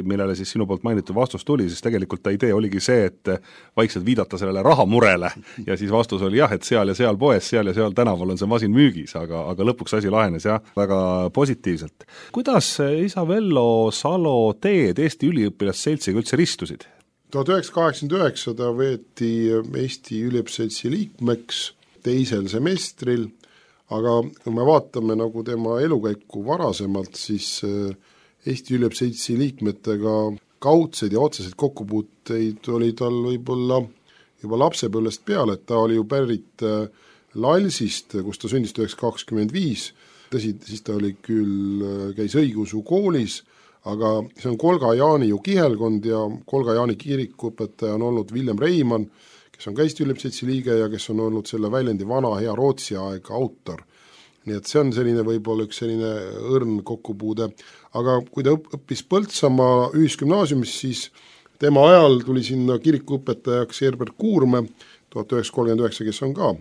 millele siis sinu poolt mainitud vastus tuli, siis tegelikult ta idee oligi see, et vaikselt viidata sellele rahamurele ja siis vastus oli jah, et seal ja seal poes, seal ja seal tänaval on see masin müügis, aga, aga lõpuks asi lahenes jah, väga positiivselt. Kuidas isa Vello Salo teed Eesti Üliõpilasseltsiga üldse ristusid? tuhat üheksasada kaheksakümmend üheksa ta võeti Eesti Üliõpilasseltsi liikmeks teisel semestril, aga kui me vaatame nagu tema elukäiku varasemalt, siis Eesti Üliõpilasseltsi liikmetega kaudseid ja otseseid kokkupuuteid oli tal võib-olla juba lapsepõlvest peale, et ta oli ju pärit Lalsist, kus ta sündis üheksasada kakskümmend viis tõsi, siis ta oli küll, käis õigeusu koolis, aga see on Kolga Jaani ju kihelkond ja Kolga Jaani kirikuõpetaja on olnud Villem Reimann, kes on ka Eesti Ülipseltsi liige ja kes on olnud selle väljendi vana hea Rootsi aega autor. Nii et see on selline võib-olla üks selline õrn kokkupuude, aga kui ta õppis Põltsamaa ühisgümnaasiumis, siis tema ajal tuli sinna kirikuõpetajaks Herbert Kuurme, tuhat üheksasada kolmkümmend üheksa, kes on ka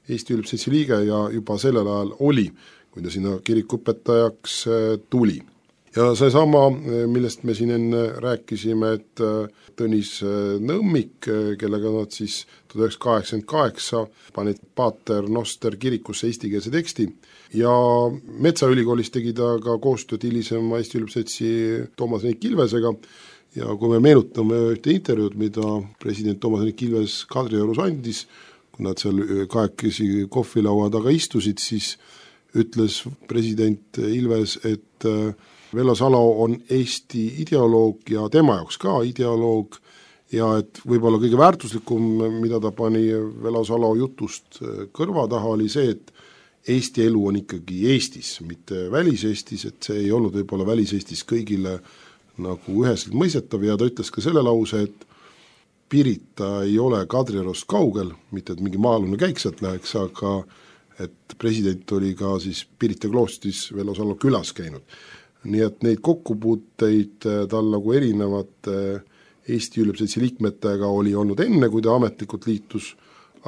Eesti Ülipseltsi liige ja juba sellel ajal oli, kui ta sinna kirikuõpetajaks tuli. Ja see sama, millest me siin enne rääkisime, et Tõnis Nõmmik, kellega nad siis tuhat üheksasada kaheksakümmend kaheksa panid Pater Noster kirikusse eestikeelse teksti ja Metsaülikoolis tegi ta ka koostööd hilisema Eesti Ülipseltsi Toomas Hendrik Ilvesega ja kui me meenutame ühte intervjuud, mida president Toomas Hendrik Ilves Kadriorus andis, kui nad seal kahekesi kohvilaua taga istusid, siis ütles president Ilves, et Vello Salo on Eesti ideoloog ja tema jaoks ka ideoloog ja et võib-olla kõige väärtuslikum, mida ta pani Vello Salo jutust kõrva taha, oli see, et Eesti elu on ikkagi Eestis, mitte välis-Eestis, et see ei olnud võib-olla välis-Eestis kõigile nagu üheselt mõistetav ja ta ütles ka selle lause, et Pirita ei ole Kadriorust kaugel, mitte et mingi maalune käik sealt läheks, aga et president oli ka siis Pirita kloostris Vello Salo külas käinud. Nii et neid kokkupuuteid tal nagu erinevate Eesti Ülipseltsi liikmetega oli olnud enne, kui ta ametlikult liitus,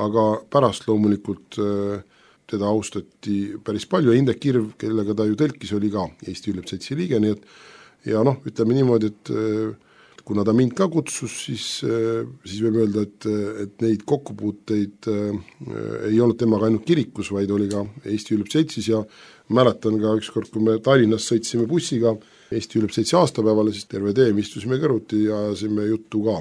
aga pärast loomulikult teda austati päris palju ja Indrek Kirv, kellega ta ju tõlkis, oli ka Eesti Ülipseltsi liige, nii et ja noh, ütleme niimoodi, et kuna ta mind ka kutsus, siis, siis võime öelda, et, et neid kokkupuuteid ei olnud temaga ainult kirikus, vaid oli ka Eesti Ülipseltsis ja mäletan ka ükskord, kui me Tallinnas sõitsime bussiga Eesti Ülipseltsi aastapäevale, siis terve tee me istusime kõrvuti ja ajasime juttu ka.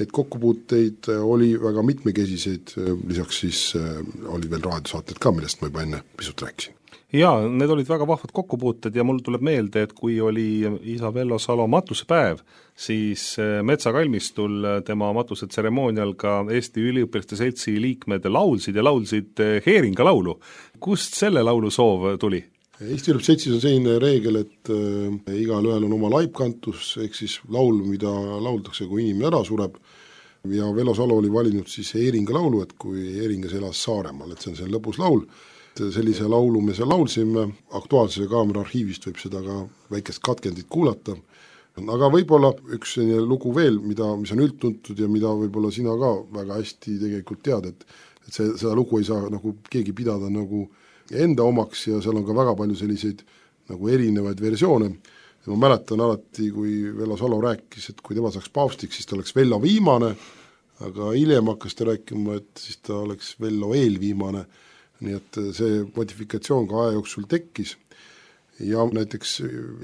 Neid kokkupuuteid oli väga mitmekesiseid, lisaks siis oli veel raadiosaated ka, millest ma juba enne pisut rääkisin. Jaa, need olid väga vahvad kokkupuuted ja mul tuleb meelde, et kui oli isa Vello Salo matusepäev, siis metsakalmistul tema matusetseremoonial ka Eesti Üliõpilaste Seltsi liikmed laulsid ja laulsid Heeringa laulu. Kust selle laulu soov tuli? Eesti Ülipseltsi Seltsis on selline reegel, et äh, igal ühel on oma laipkantus, ehk siis laul, mida lauldakse, kui inimene ära sureb ja Vello Salo oli valinud siis Heeringa laulu, et kui Heeringas elas Saaremaal, et see on see lõbus laul. Sellise laulu me seal laulsime, Aktuaalse kaamera arhiivist võib seda ka väikest katkendit kuulata, aga võib-olla üks lugu veel, mida, mis on üldtuntud ja mida võib-olla sina ka väga hästi tegelikult tead, et, et see, seda lugu ei saa nagu keegi pidada nagu enda omaks ja seal on ka väga palju selliseid nagu erinevaid versioone. Ja ma mäletan alati, kui Vello Salo rääkis, et kui tema saaks paavstiks, siis ta oleks Vello viimane, aga hiljem hakkas ta rääkima, et siis ta oleks Vello eelviimane. Nii et see modifikatsioon ka aja jooksul tekkis ja näiteks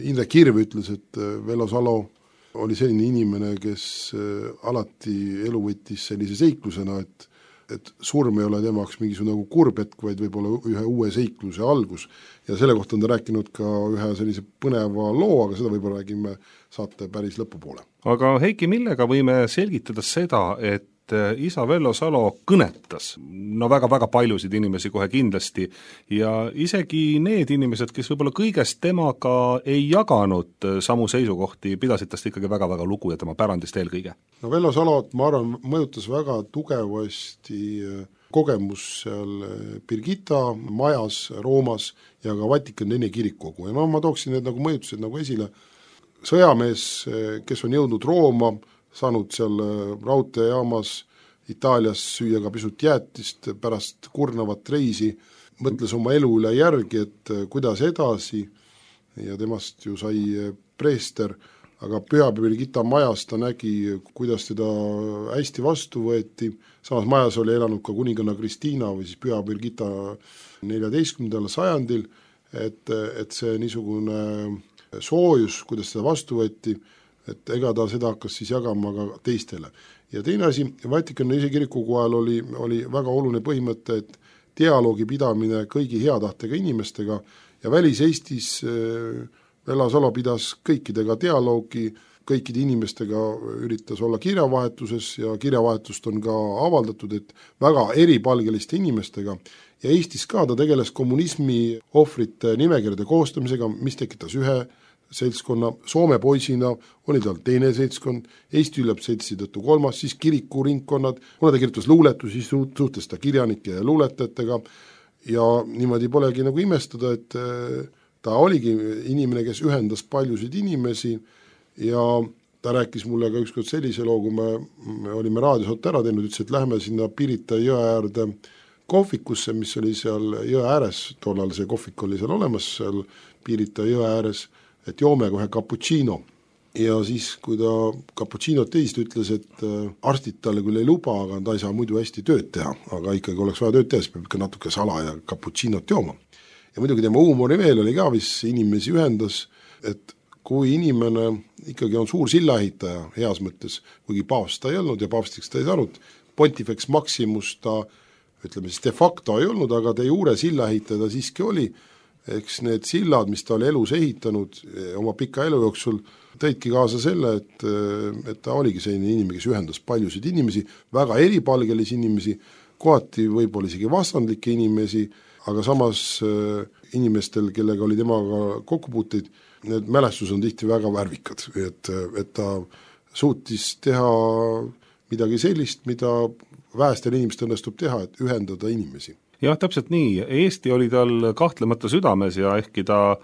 Indrek Kirv ütles, et Vello Salo oli selline inimene, kes alati elu võttis sellise seiklusena, et, et surm ei ole temaks mingisugune nagu kurbetk, vaid võib-olla ühe uue seikluse algus ja selle kohta on ta rääkinud ka ühe sellise põneva loo, aga seda võib-olla räägime saate päris lõpupoole. Aga Heiki, millega võime selgitada seda, et isa Vello Salo kõnetas no väga-väga paljusid inimesi kohe kindlasti ja isegi need inimesed, kes võib-olla kõigest temaga ei jaganud samu seisukohti, pidasid tast ikkagi väga-väga lugu ja tema pärandist eelkõige. No Vello Salot, ma arvan, mõjutas väga tugevasti kogemus seal Birgitta majas Roomas ja ka Vatikan teine kirikukogu ja no ma tooksin need nagu mõjutused nagu esile. Sõjamees, kes on jõudnud Rooma, saanud seal raudteejaamas Itaalias süüa ka pisut jäätist pärast kurnavat reisi, mõtles oma elu üle järgi, et kuidas edasi ja temast ju sai preester, aga Püha Birgitta majas ta nägi, kuidas teda hästi vastu võeti, samas majas oli elanud ka kuninganna Kristiina või siis Püha Birgitta neljateistkümnendal sajandil, et, et see niisugune soojus, kuidas seda vastu võeti, et ega ta seda hakkas siis jagama ka teistele. Ja teine asi, Vatikani ise kirikukogu ajal oli, oli väga oluline põhimõte, et dialoogi pidamine kõigi heatahtega inimestega ja välis-Eestis Vello Salo pidas kõikidega dialoogi, kõikide inimestega üritas olla kirjavahetuses ja kirjavahetust on ka avaldatud, et väga eripalgeliste inimestega ja Eestis ka ta tegeles kommunismi ohvrite nimekirjade koostamisega, mis tekitas ühe seltskonna, Soome poisina oli tal teine seltskond, Eesti ülebseltsi tõttu kolmas, siis kirikuringkonnad, kuna ta kirjutas luuletusi, suhtles ta kirjanike ja luuletajatega ja niimoodi polegi nagu imestada, et ta oligi inimene, kes ühendas paljusid inimesi ja ta rääkis mulle ka ükskord sellise loo, kui me, me olime raadiosot ära teinud, ütles, et lähme sinna Pirita jõe äärde kohvikusse, mis oli seal jõe ääres, tollal see kohvik oli seal olemas, seal Pirita jõe ääres, et joome kohe cappuccino. Ja siis, kui ta cappuccinot teist ütles, et arstid talle küll ei luba, aga ta ei saa muidu hästi tööd teha, aga ikkagi oleks vaja tööd teha, siis peab ikka natuke sala ja cappuccinot jooma. Ja muidugi tema huumori veel oli ka, mis inimesi ühendas, et kui inimene ikkagi on suur sillaehitaja heas mõttes, kuigi paavst ta ei olnud ja paavstiks ta ei saanud, Pontifex Maximus ta, ütleme siis de facto ei olnud, aga de jure sillaehitaja ta siiski oli, eks need sillad, mis ta oli elus ehitanud oma pika elu jooksul, tõidki kaasa selle, et, et ta oligi selline inimene, kes ühendas paljusid inimesi, väga eripalgelisi inimesi, kohati võib-olla isegi vastandlikke inimesi, aga samas inimestel, kellega oli temaga kokkupuuteid, need mälestused on tihti väga värvikad, et, et ta suutis teha midagi sellist, mida vähestel inimestel õnnestub teha, et ühendada inimesi. Jah, täpselt nii. Eesti oli tal kahtlemata südames ja ehkki ta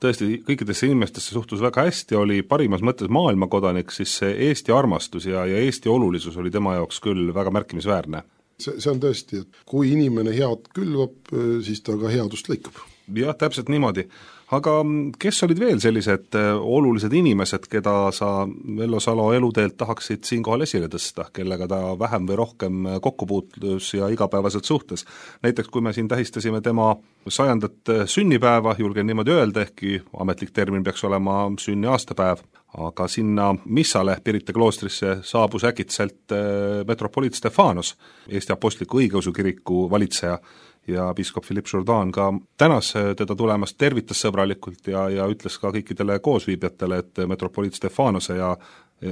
tõesti kõikidesse inimestesse suhtus väga hästi, oli parimas mõttes maailmakodanik, siis see Eesti armastus ja, ja Eesti olulisus oli tema jaoks küll väga märkimisväärne. See, see on tõesti, et kui inimene head külvab, siis ta ka headust lõikab. Jah, täpselt niimoodi. Aga kes olid veel sellised olulised inimesed, keda sa Vello Salo eluteelt tahaksid siinkohal esile tõsta, kellega ta vähem või rohkem kokkupuutlus ja igapäevaselt suhtes? Näiteks kui me siin tähistasime tema sajandat sünnipäeva, julgen niimoodi öelda, ehkki ametlik termin peaks olema sünni aastapäev, aga sinna missale Pirita kloostrisse saabus äkitselt metropoliit Stefanos, Eesti Apostliku Õigeusu Kiriku valitseja, ja piiskop Philippe Jourdan ka tänas teda tulemast, tervitas sõbralikult ja, ja ütles ka kõikidele koosviibjatele, et metropoliit Stefanose ja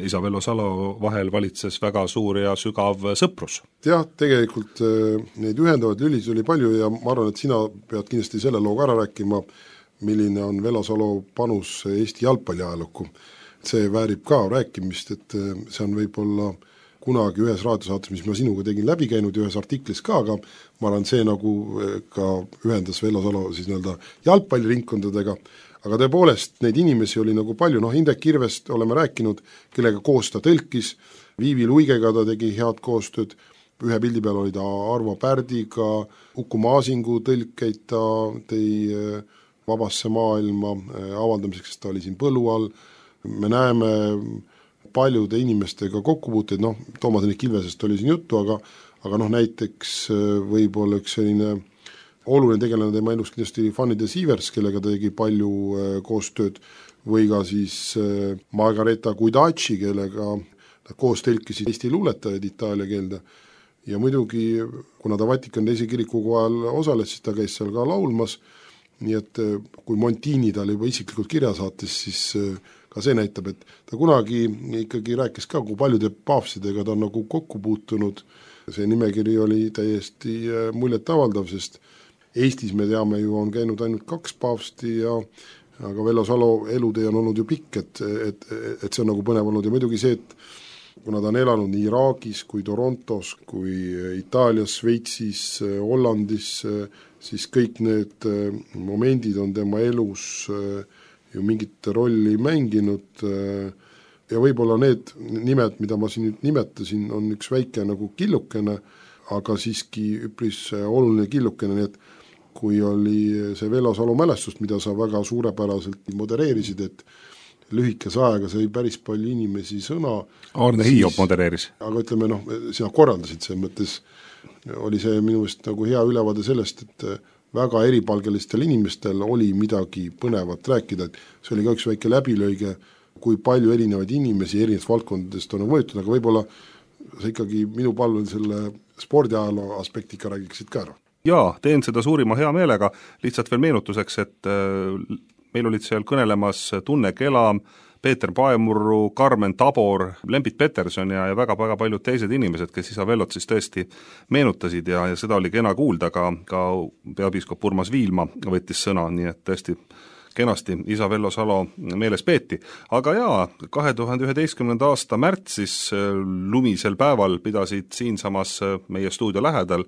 isa Vello Salo vahel valitses väga suur ja sügav sõprus. Jah, tegelikult neid ühendavaid lülis oli palju ja ma arvan, et sina pead kindlasti selle looga ära rääkima, milline on Vello Salo panus Eesti jalgpalliajalukku. See väärib ka rääkimist, et see on võib-olla kunagi ühes raadiosaates, mis ma sinuga tegin läbi käinud ja ühes artiklis ka, aga ma arvan, see nagu ka ühendas Vello Salo siis nii-öelda jalgpalliringkondadega, aga tõepoolest neid inimesi oli nagu palju, noh Indrek Kirvest oleme rääkinud, kellega koos ta tõlkis, Viivi Luigega ta tegi head koostööd, ühe pildi peal oli ta Arvo Pärdiga, Uku Maasingu tõlkeid ta tõi vabasse maailma avaldamiseks, ta oli siin põllu all, me näeme paljude inimestega kokkupuuteid, noh, Toomas Hendrik Ilvesest oli siin juttu, aga, aga noh, näiteks võib-olla üks selline oluline tegelane tema elus kindlasti Fanny de Sievers, kellega ta tegi palju koostööd, või ka siis Margareta Guidaci, kellega ta koos tõlkisid Eesti luuletajaid itaalia keelde. Ja muidugi, kuna ta Vatikan teise kiriku kohal osales, siis ta käis seal ka laulmas, nii et kui Montini tal juba isiklikult kirja saatis, siis ka see näitab, et ta kunagi ikkagi rääkis ka, kui paljude paavstidega ta on nagu kokku puutunud. See nimekiri oli täiesti muljet avaldav, sest Eestis me teame ju on käinud ainult kaks paavsti ja aga Vello Salo elutee on olnud ju pikk, et, et, et see on nagu põnev olnud ja muidugi see, et kuna ta on elanud nii Iraagis kui Torontos, kui Itaalias, Sveitsis, Hollandis, siis kõik need momendid on tema elus ju mingit rolli mänginud ja võib-olla need nimed, mida ma siin nüüd nimetasin, on üks väike nagu killukene, aga siiski üpris oluline killukene, nii et kui oli see Vello Salo mälestust, mida sa väga suurepäraselt modereerisid, et lühikese ajaga sai päris palju inimesi sõna. Arne Hiiop modereeris. Aga ütleme, noh, sina korraldasid see mõttes, oli see minu meelest nagu hea ülevaade sellest, et väga eripalgelistel inimestel oli midagi põnevat rääkida, et see oli ka üks väike läbilööge, kui palju erinevaid inimesi erinevates valdkondadest on mõjutud, aga võib-olla sa ikkagi minu palvel selle spordiajaloo aspektika räägiksid ka ära. Jaa, teen seda suurima hea meelega, lihtsalt veel meenutuseks, et meil olid seal kõnelemas Tunne Kelam, Peeter Paemurru, Karmen Tabor, Lembit Peterson ja, ja väga-väga paljud teised inimesed, kes Isavellot siis tõesti meenutasid ja, ja seda oli kena kuulda, ka, ka peapiiskop Urmas Viilma võttis sõna, nii et tõesti kenasti Isavello Salo meeles peeti. Aga jaa, kahe tuhande üheteistkümnenda aasta märtsis lumisel päeval pidasid siinsamas meie stuudio lähedal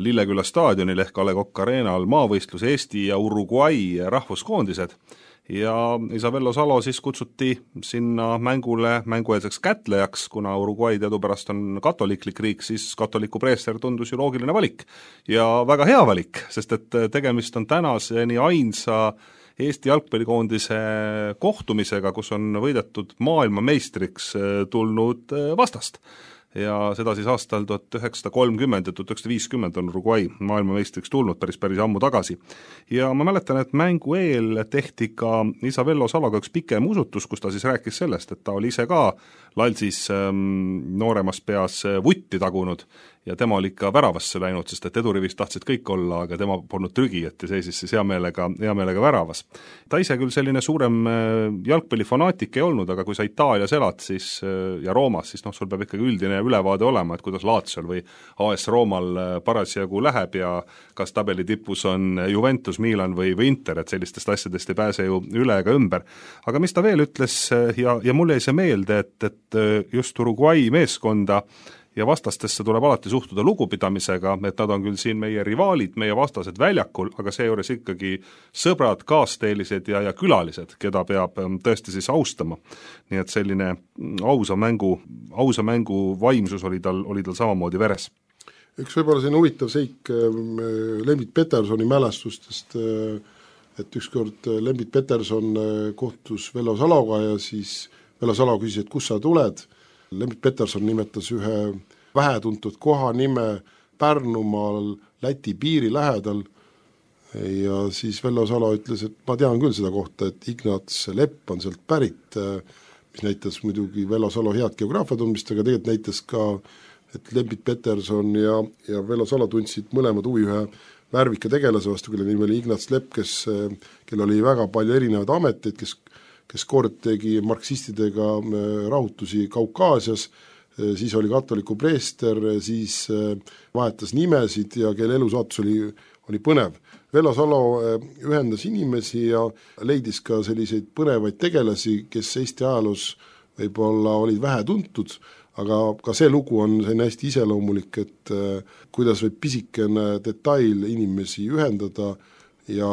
Lilleküla staadionil ehk A Le Coq Arenal maavõistlus Eesti ja Uruguay rahvuskoondised ja Isavello Salo siis kutsuti sinna mängule mängueelseks kätlejaks, kuna Uruguay teadupärast on katoliklik riik, siis katoliku preester tundus ju loogiline valik. Ja väga hea valik, sest et tegemist on tänaseni ainsa Eesti jalgpallikoondise kohtumisega, kus on võidetud maailmameistriks tulnud vastast. Ja seda siis aastal tuhat üheksasada kolmkümmend ja tuhat üheksasada viiskümmend on Uruguay maailmameistriks tulnud päris päris ammu tagasi. Ja ma mäletan, et mängu eel tehti ka Isavello Saloga üks pikem usutus, kus ta siis rääkis sellest, et ta oli ise ka Lalsis ähm, nooremas peas vutti tagunud ja tema oli ikka väravasse läinud, sest et edurivist tahtsid kõik olla, aga tema polnud trügijat ja seisis siis hea meelega, hea meelega väravas. Ta ise küll selline suurem jalgpallifanaatik ei olnud, aga kui sa Itaalias elad siis, ja Roomas, siis noh, sul peab ikkagi üldine ülevaade olema, et kuidas Laziol või A S Roomal parasjagu läheb ja kas tabeli tipus on Juventus, Milan või, või Inter, et sellistest asjadest ei pääse ju üle ega ümber. Aga mis ta veel ütles ja, ja mulle jäi see meelde, et, et just Uruguay meeskonda ja vastastesse tuleb alati suhtuda lugupidamisega, et nad on küll siin meie rivaalid, meie vastased väljakul, aga seejuures ikkagi sõbrad, kaasteelised ja, ja külalised, keda peab tõesti siis austama. Nii et selline ausa mängu, ausa mängu vaimsus oli tal, oli tal samamoodi veres. Üks võib-olla selline huvitav seik Lembit Petersoni mälestustest, et ükskord Lembit Peterson kohtus Vello Saloga ja siis Vello Salo küsis, et kus sa tuled. Lembit Peterson nimetas ühe vähetuntud koha nime Pärnumaal Läti piiri lähedal ja siis Vello Salo ütles, et ma tean küll seda kohta, et Ignats Lepp on sealt pärit, mis näitas muidugi Vello Salo head geograafia tundmist, aga tegelikult näitas ka, et Lembit Peterson ja, ja Vello Salo tundsid mõlemad huvi ühe värvika tegelase vastu, kelle nimi oli Ignats Lepp, kes, kel oli väga palju erinevaid ameteid, kes kes kord tegi marksistidega rahutusi Kaukaasias, siis oli katoliku preester, siis vahetas nimesid ja kelle elusaatus oli, oli põnev. Vello Salo ühendas inimesi ja leidis ka selliseid põnevaid tegelasi, kes Eesti ajaloos võib-olla olid vähe tuntud, aga ka see lugu on selline hästi iseloomulik, et kuidas võib pisikene detail inimesi ühendada ja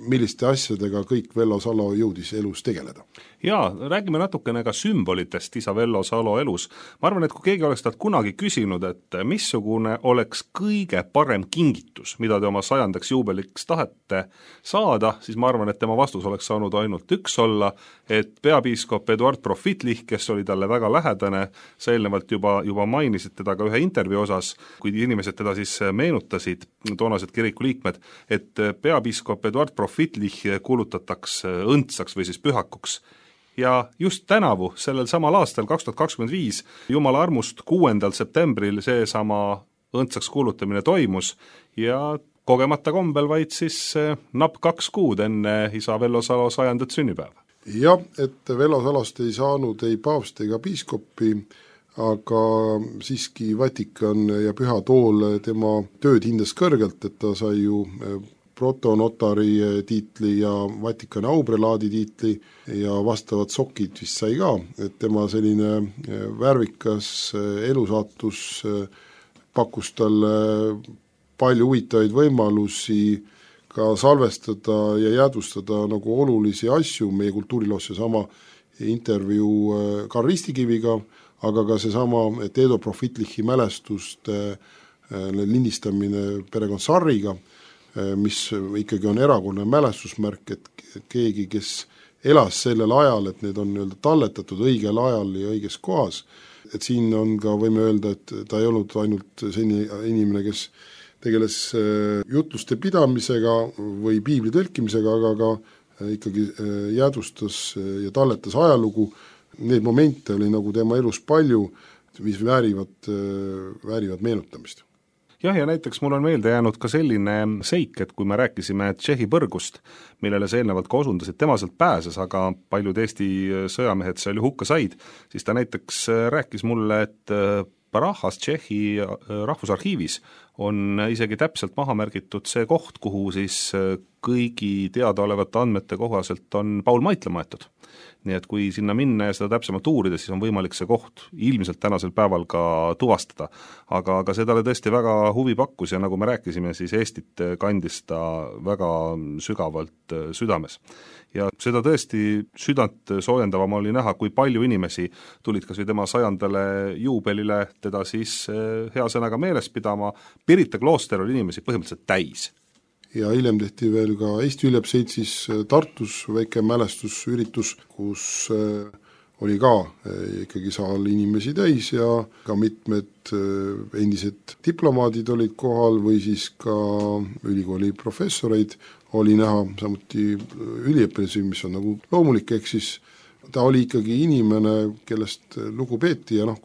milliste asjadega kõik Vello Salo jõudis elus tegeleda. Jaa, räägime natukene ka sümbolitest Isavello Salo elus. Ma arvan, et kui keegi oleks talt kunagi küsinud, et missugune oleks kõige parem kingitus, mida te oma sajandaks juubeliks tahate saada, siis ma arvan, et tema vastus oleks saanud ainult üks olla, et peapiiskop Eduard Profitlich, kes oli talle väga lähedane, sa eelnevalt juba, juba mainisid teda ka ühe intervjuu osas, kui inimesed teda siis meenutasid, toonased kiriku liikmed, et peapiiskop Eduard Profitlich kuulutataks õndsaks või siis pühakuks. Ja just tänavu, sellel samal aastal kaks tuhat kakskümmend viis, Jumala armust kuuendal septembril see sama õndsaks kuulutamine toimus ja kogemata kombel vaid siis napp kaks kuud enne Isavello Salo sajandat sünnipäeva. Jah, et Vello Salost ei saanud ei paavst ega piiskopi, aga siiski Vatikan ja Püha Tool tema tööd hindas kõrgelt, et ta sai ju protonotari tiitli ja Vatikani auprelaadi tiitli ja vastavad sokid vist sai ka, et tema selline värvikas elusaatus pakkus talle palju huvitavaid võimalusi ka salvestada ja jäädvustada nagu olulisi asju meie kultuuriloos, seesama intervjuu Karl Ristikiviga, aga ka seesama Teedo Profitlichi mälestuste lindistamine perekond Sarriga, mis ikkagi on erakonna mälestusmärk, et keegi, kes elas sellel ajal, et need on nii-öelda talletatud õigel ajal ja õiges kohas, et siin on ka, võime öelda, et ta ei olnud ainult selline inimene, kes tegeles jutluste pidamisega või piibli tõlkimisega, aga ka ikkagi jäädvustas ja talletas ajalugu. Need momente oli nagu tema elus palju, mis väärivad, väärivad meenutamist. jah, ja näiteks mul on meelde jäänud ka selline seik, et kui me rääkisime Tšehhi põrgust, millele sa eelnevalt ka osundasid, tema sealt pääses, aga paljud Eesti sõjamehed seal ju hukka said, siis ta näiteks rääkis mulle, et Prahas Tšehhi rahvusarhiivis on isegi täpselt maha märgitud see koht, kuhu siis kõigi teadaolevate andmete kohaselt on Paul Maitla maetud. Nii et kui sinna minna ja seda täpsemalt uurida, siis on võimalik see koht ilmselt tänasel päeval ka tuvastada. Aga, aga see talle tõesti väga huvi pakkus ja nagu me rääkisime, siis Eestit kandis ta väga sügavalt südames. Ja seda tõesti südant soojendavam oli näha, kui palju inimesi tulid kas või tema sajandale juubelile teda siis hea sõnaga meeles pidama. Pirita klooster oli inimesi põhimõtteliselt täis. Ja hiljem tehti veel ka Eesti Ülebseitsis Tartus väike mälestusüritus, kus oli ka ikkagi saal inimesi täis ja ka mitmed endised diplomaadid olid kohal või siis ka ülikooli professoreid oli näha, samuti üliõpilasi, mis on nagu loomulik, ehk siis ta oli ikkagi inimene, kellest lugu peeti ja noh,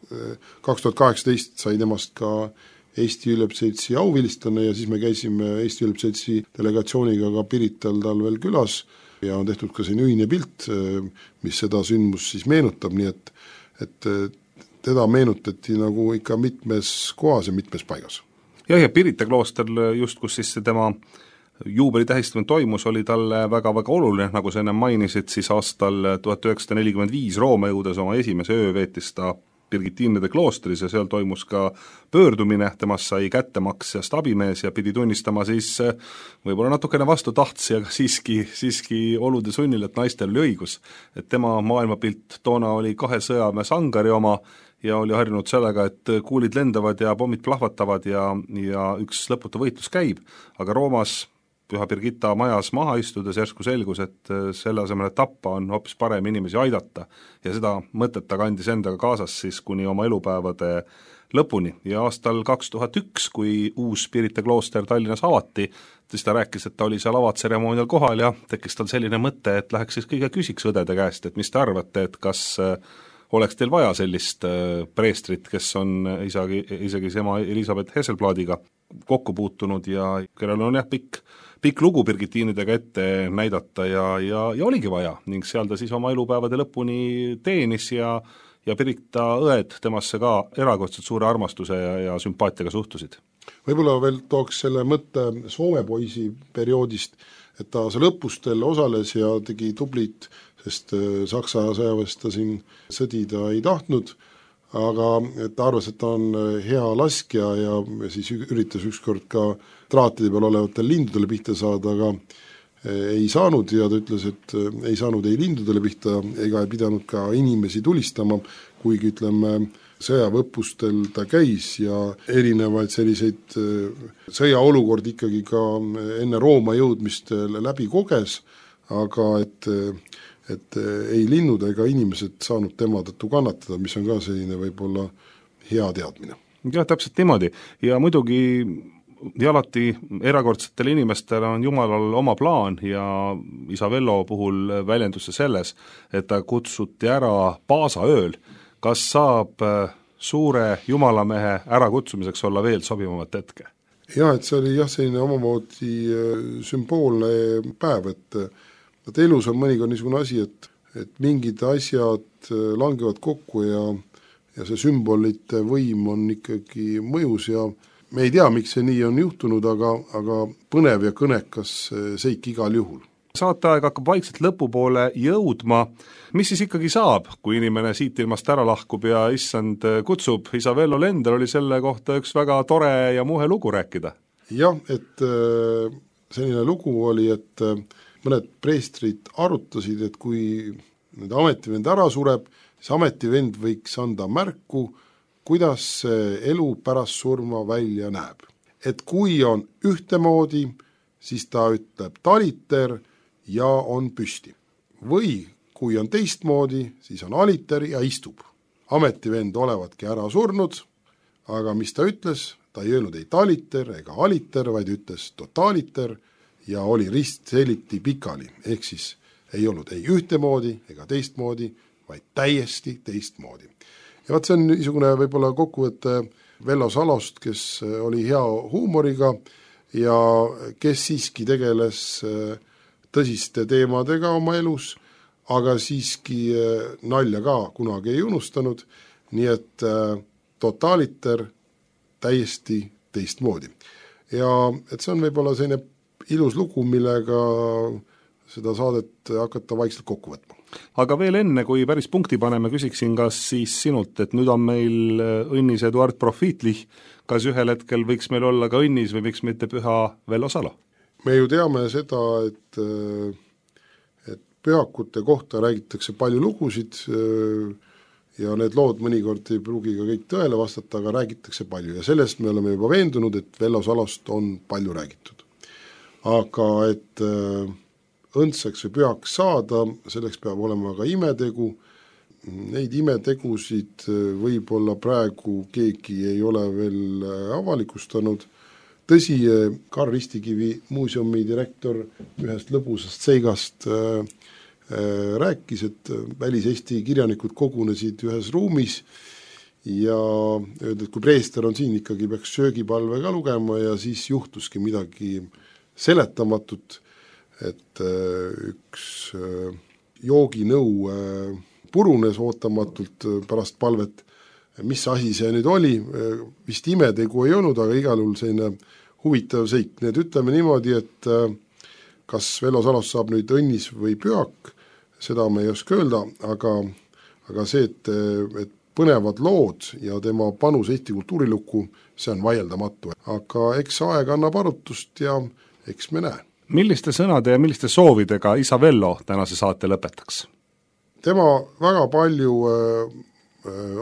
kaks tuhat kaheksateist sai temast ka Eesti Ülebseitsi auvilistlane ja siis me käisime Eesti Ülebseitsi delegatsiooniga ka Pirital tal veel külas ja on tehtud ka siin ühine pilt, mis seda sündmus siis meenutab, nii et, et teda meenutati nagu ikka mitmes kohas ja mitmes paigas. Jah, ja Pirita klooster just, kus siis tema juubeli tähistamine toimus, oli talle väga-väga oluline, nagu sa enne mainisid, siis aastal tuhat üheksasada nelikümmend viis Rooma jõudes oma esimese öö veetis ta Birgitiinide kloostris ja seal toimus ka pöördumine, temast sai kättemaksjast abimees ja pidi tunnistama siis võib-olla natukene vastu tahtsi, aga siiski, siiski olude sunnil, et naistel oli õigus. Et tema maailmapilt toona oli kahe sõjamees Angari oma ja oli harjunud sellega, et kuulid lendavad ja pommid plahvatavad ja, ja üks lõputu võitlus käib, aga Roomas Püha Birgitta majas maha istudes järsku selgus, et selle asemel, et tappa, on hoopis parem inimesi aidata ja seda mõtet ta kandis endaga kaasas siis kuni oma elupäevade lõpuni ja aastal kaks tuhat üks, kui uus Pirita klooster Tallinnas avati, siis ta rääkis, et ta oli seal avatseremoonial kohal ja tekkis tal selline mõte, et läheks siis kõige küsiks õdede käest, et mis te arvate, et kas oleks teil vaja sellist preestrit, kes on isegi, isegi ema Elisabeth Hesselbladiga kokku puutunud ja kellel on jah pikk pikk lugu Birgitiinidega ette näidata ja, ja, ja oligi vaja ning seal ta siis oma elupäevade lõpuni teenis ja, ja Pirita õed temasse ka erakordselt suure armastuse ja, ja sümpaatiaga suhtusid. Võib-olla veel tooks selle mõtte Soome poisi perioodist, et ta seal õppustel osales ja tegi tublit, sest Saksa sõjaväes ta siin sõdida ei tahtnud, aga ta arvas, et ta on hea laskja ja siis üritas ükskord ka traatide peal olevatele lindudele pihta saada, aga ei saanud ja ta ütles, et ei saanud ei lindudele pihta ega ei pidanud ka inimesi tulistama, kuigi ütleme, sõjaväeõppustel ta käis ja erinevaid selliseid sõjaolukordi ikkagi ka enne Rooma jõudmist läbi koges, aga et et ei linnud ega inimesed saanud tema tõttu kannatada, mis on ka selline võib-olla hea teadmine. jah, täpselt niimoodi ja muidugi ja alati erakordsetele inimestele on Jumalal oma plaan ja isa Vello puhul väljendus selles, et ta kutsuti ära paasaööl. Kas saab suure jumalamehe ärakutsumiseks olla veel sobivamat hetke? Jah, et see oli jah, selline omamoodi sümboolne päev, et et elus on mõnikord niisugune asi, et, et mingid asjad langevad kokku ja, ja see sümbolite võim on ikkagi mõjus ja me ei tea, miks see nii on juhtunud, aga, aga põnev ja kõnekas seik igal juhul. Saateaeg hakkab vaikselt lõpupoole jõudma. Mis siis ikkagi saab, kui inimene siit ilmast ära lahkub ja issand kutsub? Isa Vello Lender oli selle kohta üks väga tore ja muhe lugu rääkida. Jah, et selline lugu oli, et mõned preestrid arutasid, et kui nüüd ametivend ära sureb, siis ametivend võiks anda märku, kuidas elu pärast surma välja näeb. Et kui on ühtemoodi, siis ta ütleb taliter ja on püsti. Või kui on teistmoodi, siis on aliter ja istub. Ametivend olevatki ära surnud, aga mis ta ütles, ta ei öelnud ei taliter ega aliter, vaid ütles totaliter ja oli rist seliti pikali, ehk siis ei olnud ei ühtemoodi ega teistmoodi, vaid täiesti teistmoodi. Ja vaat see on niisugune võib-olla kokkuvõte Vello Salost, kes oli hea huumoriga ja kes siiski tegeles tõsiste teemadega oma elus, aga siiski nalja ka kunagi ei unustanud, nii et totaaliter täiesti teistmoodi. Ja et see on võib-olla selline ilus lugu, millega seda saadet hakata vaikselt kokku võtma. Aga veel enne, kui päris punkti paneme, küsiksin kas siis sinult, et nüüd on meil õnnis Eduard Profitlich, kas ühel hetkel võiks meil olla ka õnnis või miks mitte püha Vello Salo? Me ju teame seda, et, et pühakute kohta räägitakse palju lugusid ja need lood mõnikord ei pruugi ka kõik tõele vastata, aga räägitakse palju ja sellest me oleme juba veendunud, et Vello Salost on palju räägitud. Aga et õndsaks või pühaks saada, selleks peab olema ka imetegu. Neid imetegusid võib-olla praegu keegi ei ole veel avalikustanud. Tõsi, Karl Ristikivi muuseumi direktor ühest lõbusast seigast rääkis, et välis-Eesti kirjanikud kogunesid ühes ruumis ja öeldi, et kui preester on siin, ikkagi peaks söögipalve ka lugema ja siis juhtuski midagi seletamatut, et üks jooginõu purunes ootamatult pärast palvet. Mis asi see nüüd oli? Vist imetegu ei olnud, aga igal juhul selline huvitav seik. Need ütleme niimoodi, et kas Vello Salost saab nüüd õnnis või pühak, seda me ei oska öelda, aga, aga see, et, et põnevad lood ja tema panus Eesti kultuurilukku, see on vaieldamatu. Aga eks aeg annab arutust ja eks me näe. Milliste sõnade ja milliste soovidega isa Vello tänase saate lõpetaks? Tema väga palju äh,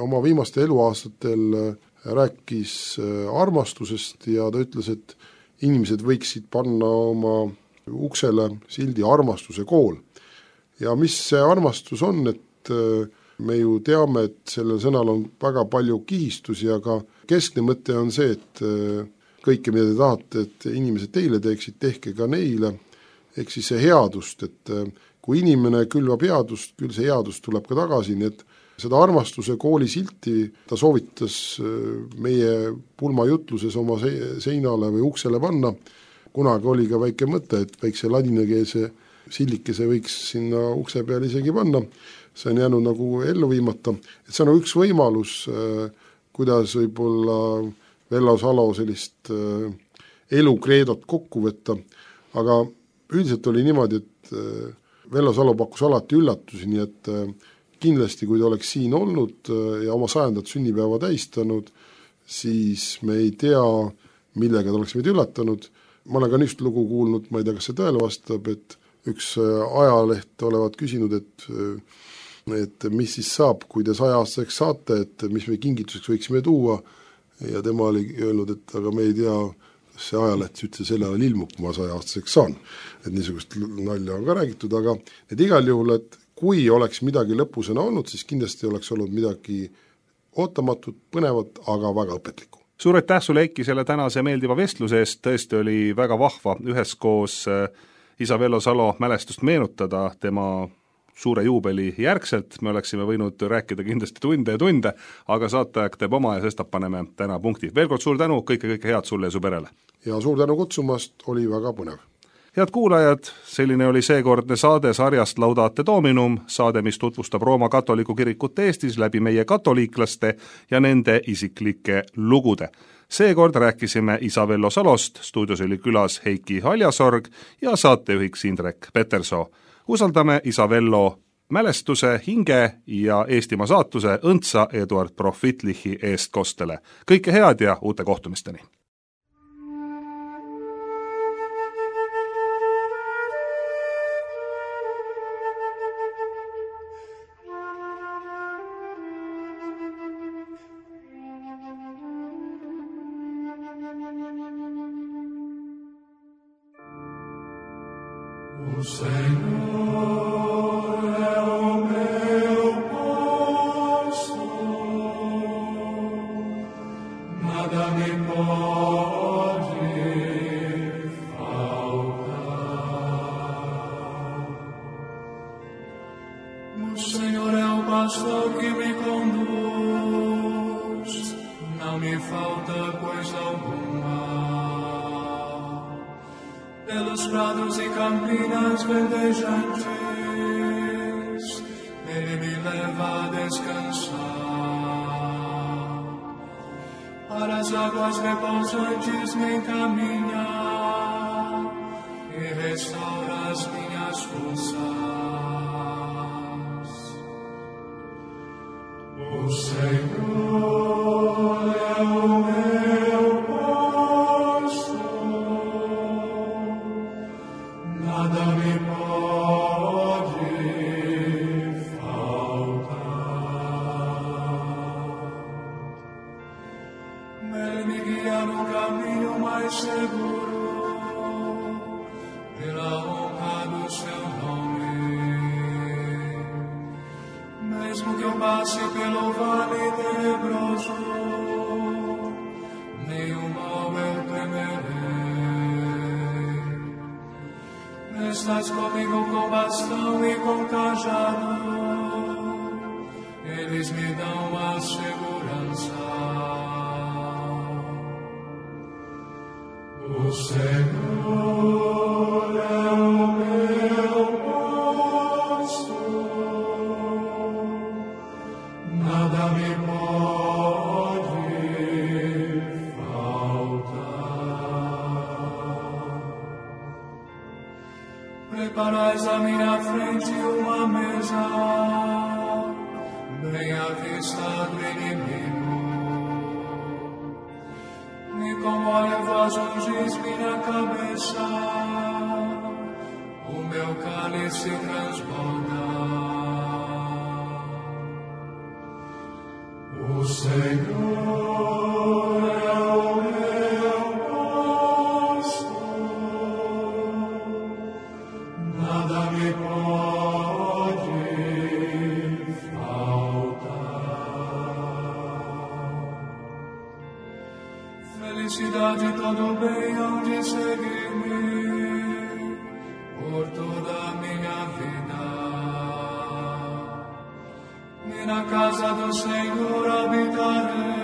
oma viimaste eluaastatel rääkis äh, armastusest ja ta ütles, et inimesed võiksid panna oma uksele sildi armastuse kool. Ja mis see armastus on, et äh, me ju teame, et sellel sõnal on väga palju kihistusi, aga keskne mõte on see, et äh, kõike, mida te tahate, et inimesed teile teeksid, tehke ka neile, ehk siis see headust, et kui inimene külvab headust, küll see headust tuleb ka tagasi, nii et seda armastuse kooli silti ta soovitas meie pulmajutluses oma seinale või uksele panna. Kunagi oli ka väike mõte, et väikse ladinakeelse sillikese võiks sinna ukse peale isegi panna, see on jäänud nagu ellu viimata, et see on üks võimalus, kuidas võib-olla Vello Salo sellist äh, elukreedot kokku võtta, aga üldiselt oli niimoodi, et äh, Vello Salo pakkus alati üllatusi, nii et äh, kindlasti, kui ta oleks siin olnud äh, ja oma sajandat sünnipäeva täistanud, siis me ei tea, millega ta oleks meid üllatanud. Ma olen ka niist lugu kuulnud, ma ei tea, kas see tõele vastab, et üks äh, ajaleht olevat küsinud, et, äh, et mis siis saab, kui te saja-aastaseks saate, et mis me kingituseks võiksime tuua, ja tema oli öelnud, et aga me ei tea, see ajaleht üldse selle ajal ilmub, kui ma saja-aastaseks saan. Et niisugust nalja on ka räägitud, aga et igal juhul, et kui oleks midagi lõpusena olnud, siis kindlasti oleks olnud midagi ootamatut, põnevat, aga väga õpetlikku. Suur aitäh sulle, Eiki, selle tänase meeldiva vestluse eest, tõesti oli väga vahva üheskoos isa Vello Salo mälestust meenutada tema suure juubeli järgselt, me oleksime võinud rääkida kindlasti tunde ja tunde, aga saateaeg teeb oma ja sestap paneme täna punkti. Veel kord suur tänu, kõike, kõike head sulle ja su perele. Ja suur tänu kutsumast, oli väga põnev. Head kuulajad, selline oli seekordne saade sarjast Laudate Dominum, saade, mis tutvustab Rooma katoliku kirikut Eestis läbi meie katoliiklaste ja nende isiklike lugude. Seekord rääkisime isa Vello Salost, stuudios oli külas Heiki Haljasorg ja saatejuhiks Indrek Petersoo. Usaldame isa Vello mälestuse, hinge ja Eestimaa saatuse õndsa Eduard Profitlichi eestkostele. Kõike head ja uute kohtumisteni! Signore è un pastor che mi conduz, non mi falta coisa alguma. Pelos prados e campinas verdejantes, Ele me leva a descansar. Para as águas repousantes me encaminha e restaura as minhas forças. O Senhor é o meu pastor, nada me pode faltar. Ele me guia no caminho mais seguro, pela honra do seu nome. Mesmo que eu passe pelo vale tenebroso, nenhum mal eu temerei. Estás comigo com bastão e com cajado, eles me dão a segurança. O Senhor é o meu pastor, nada me pode faltar. Preparais à minha frente uma mesa, bem à vista do inimigo. E com óleo vós ungis minha cabeça, o meu cálice transborda. O Senhor é o meu pastor, nada me pode faltar. Felicidade e todo bem hão de seguir-me por toda a minha vida. E na casa do Senhor habitarei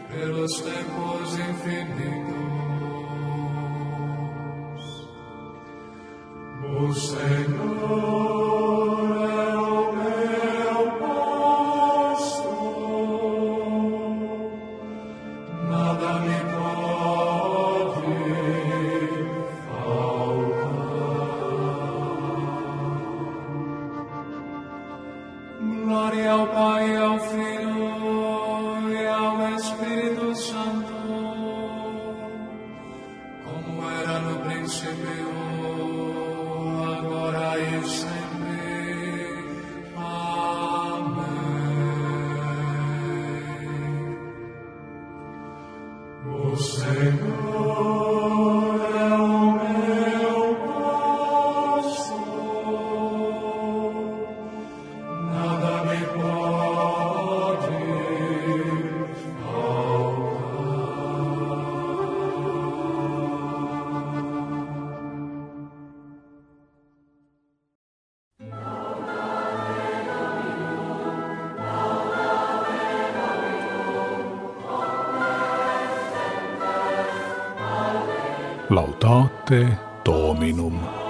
pelos tempos infinitos. O Senhor é o meu pastor, nada me pode faltar. Glória ao Pai, ao Filho e ao Espírito Santo, como era no princípio, agora e sempre. Amém. O Senhor é o meu pastor, nada me pode Laudate Dominum.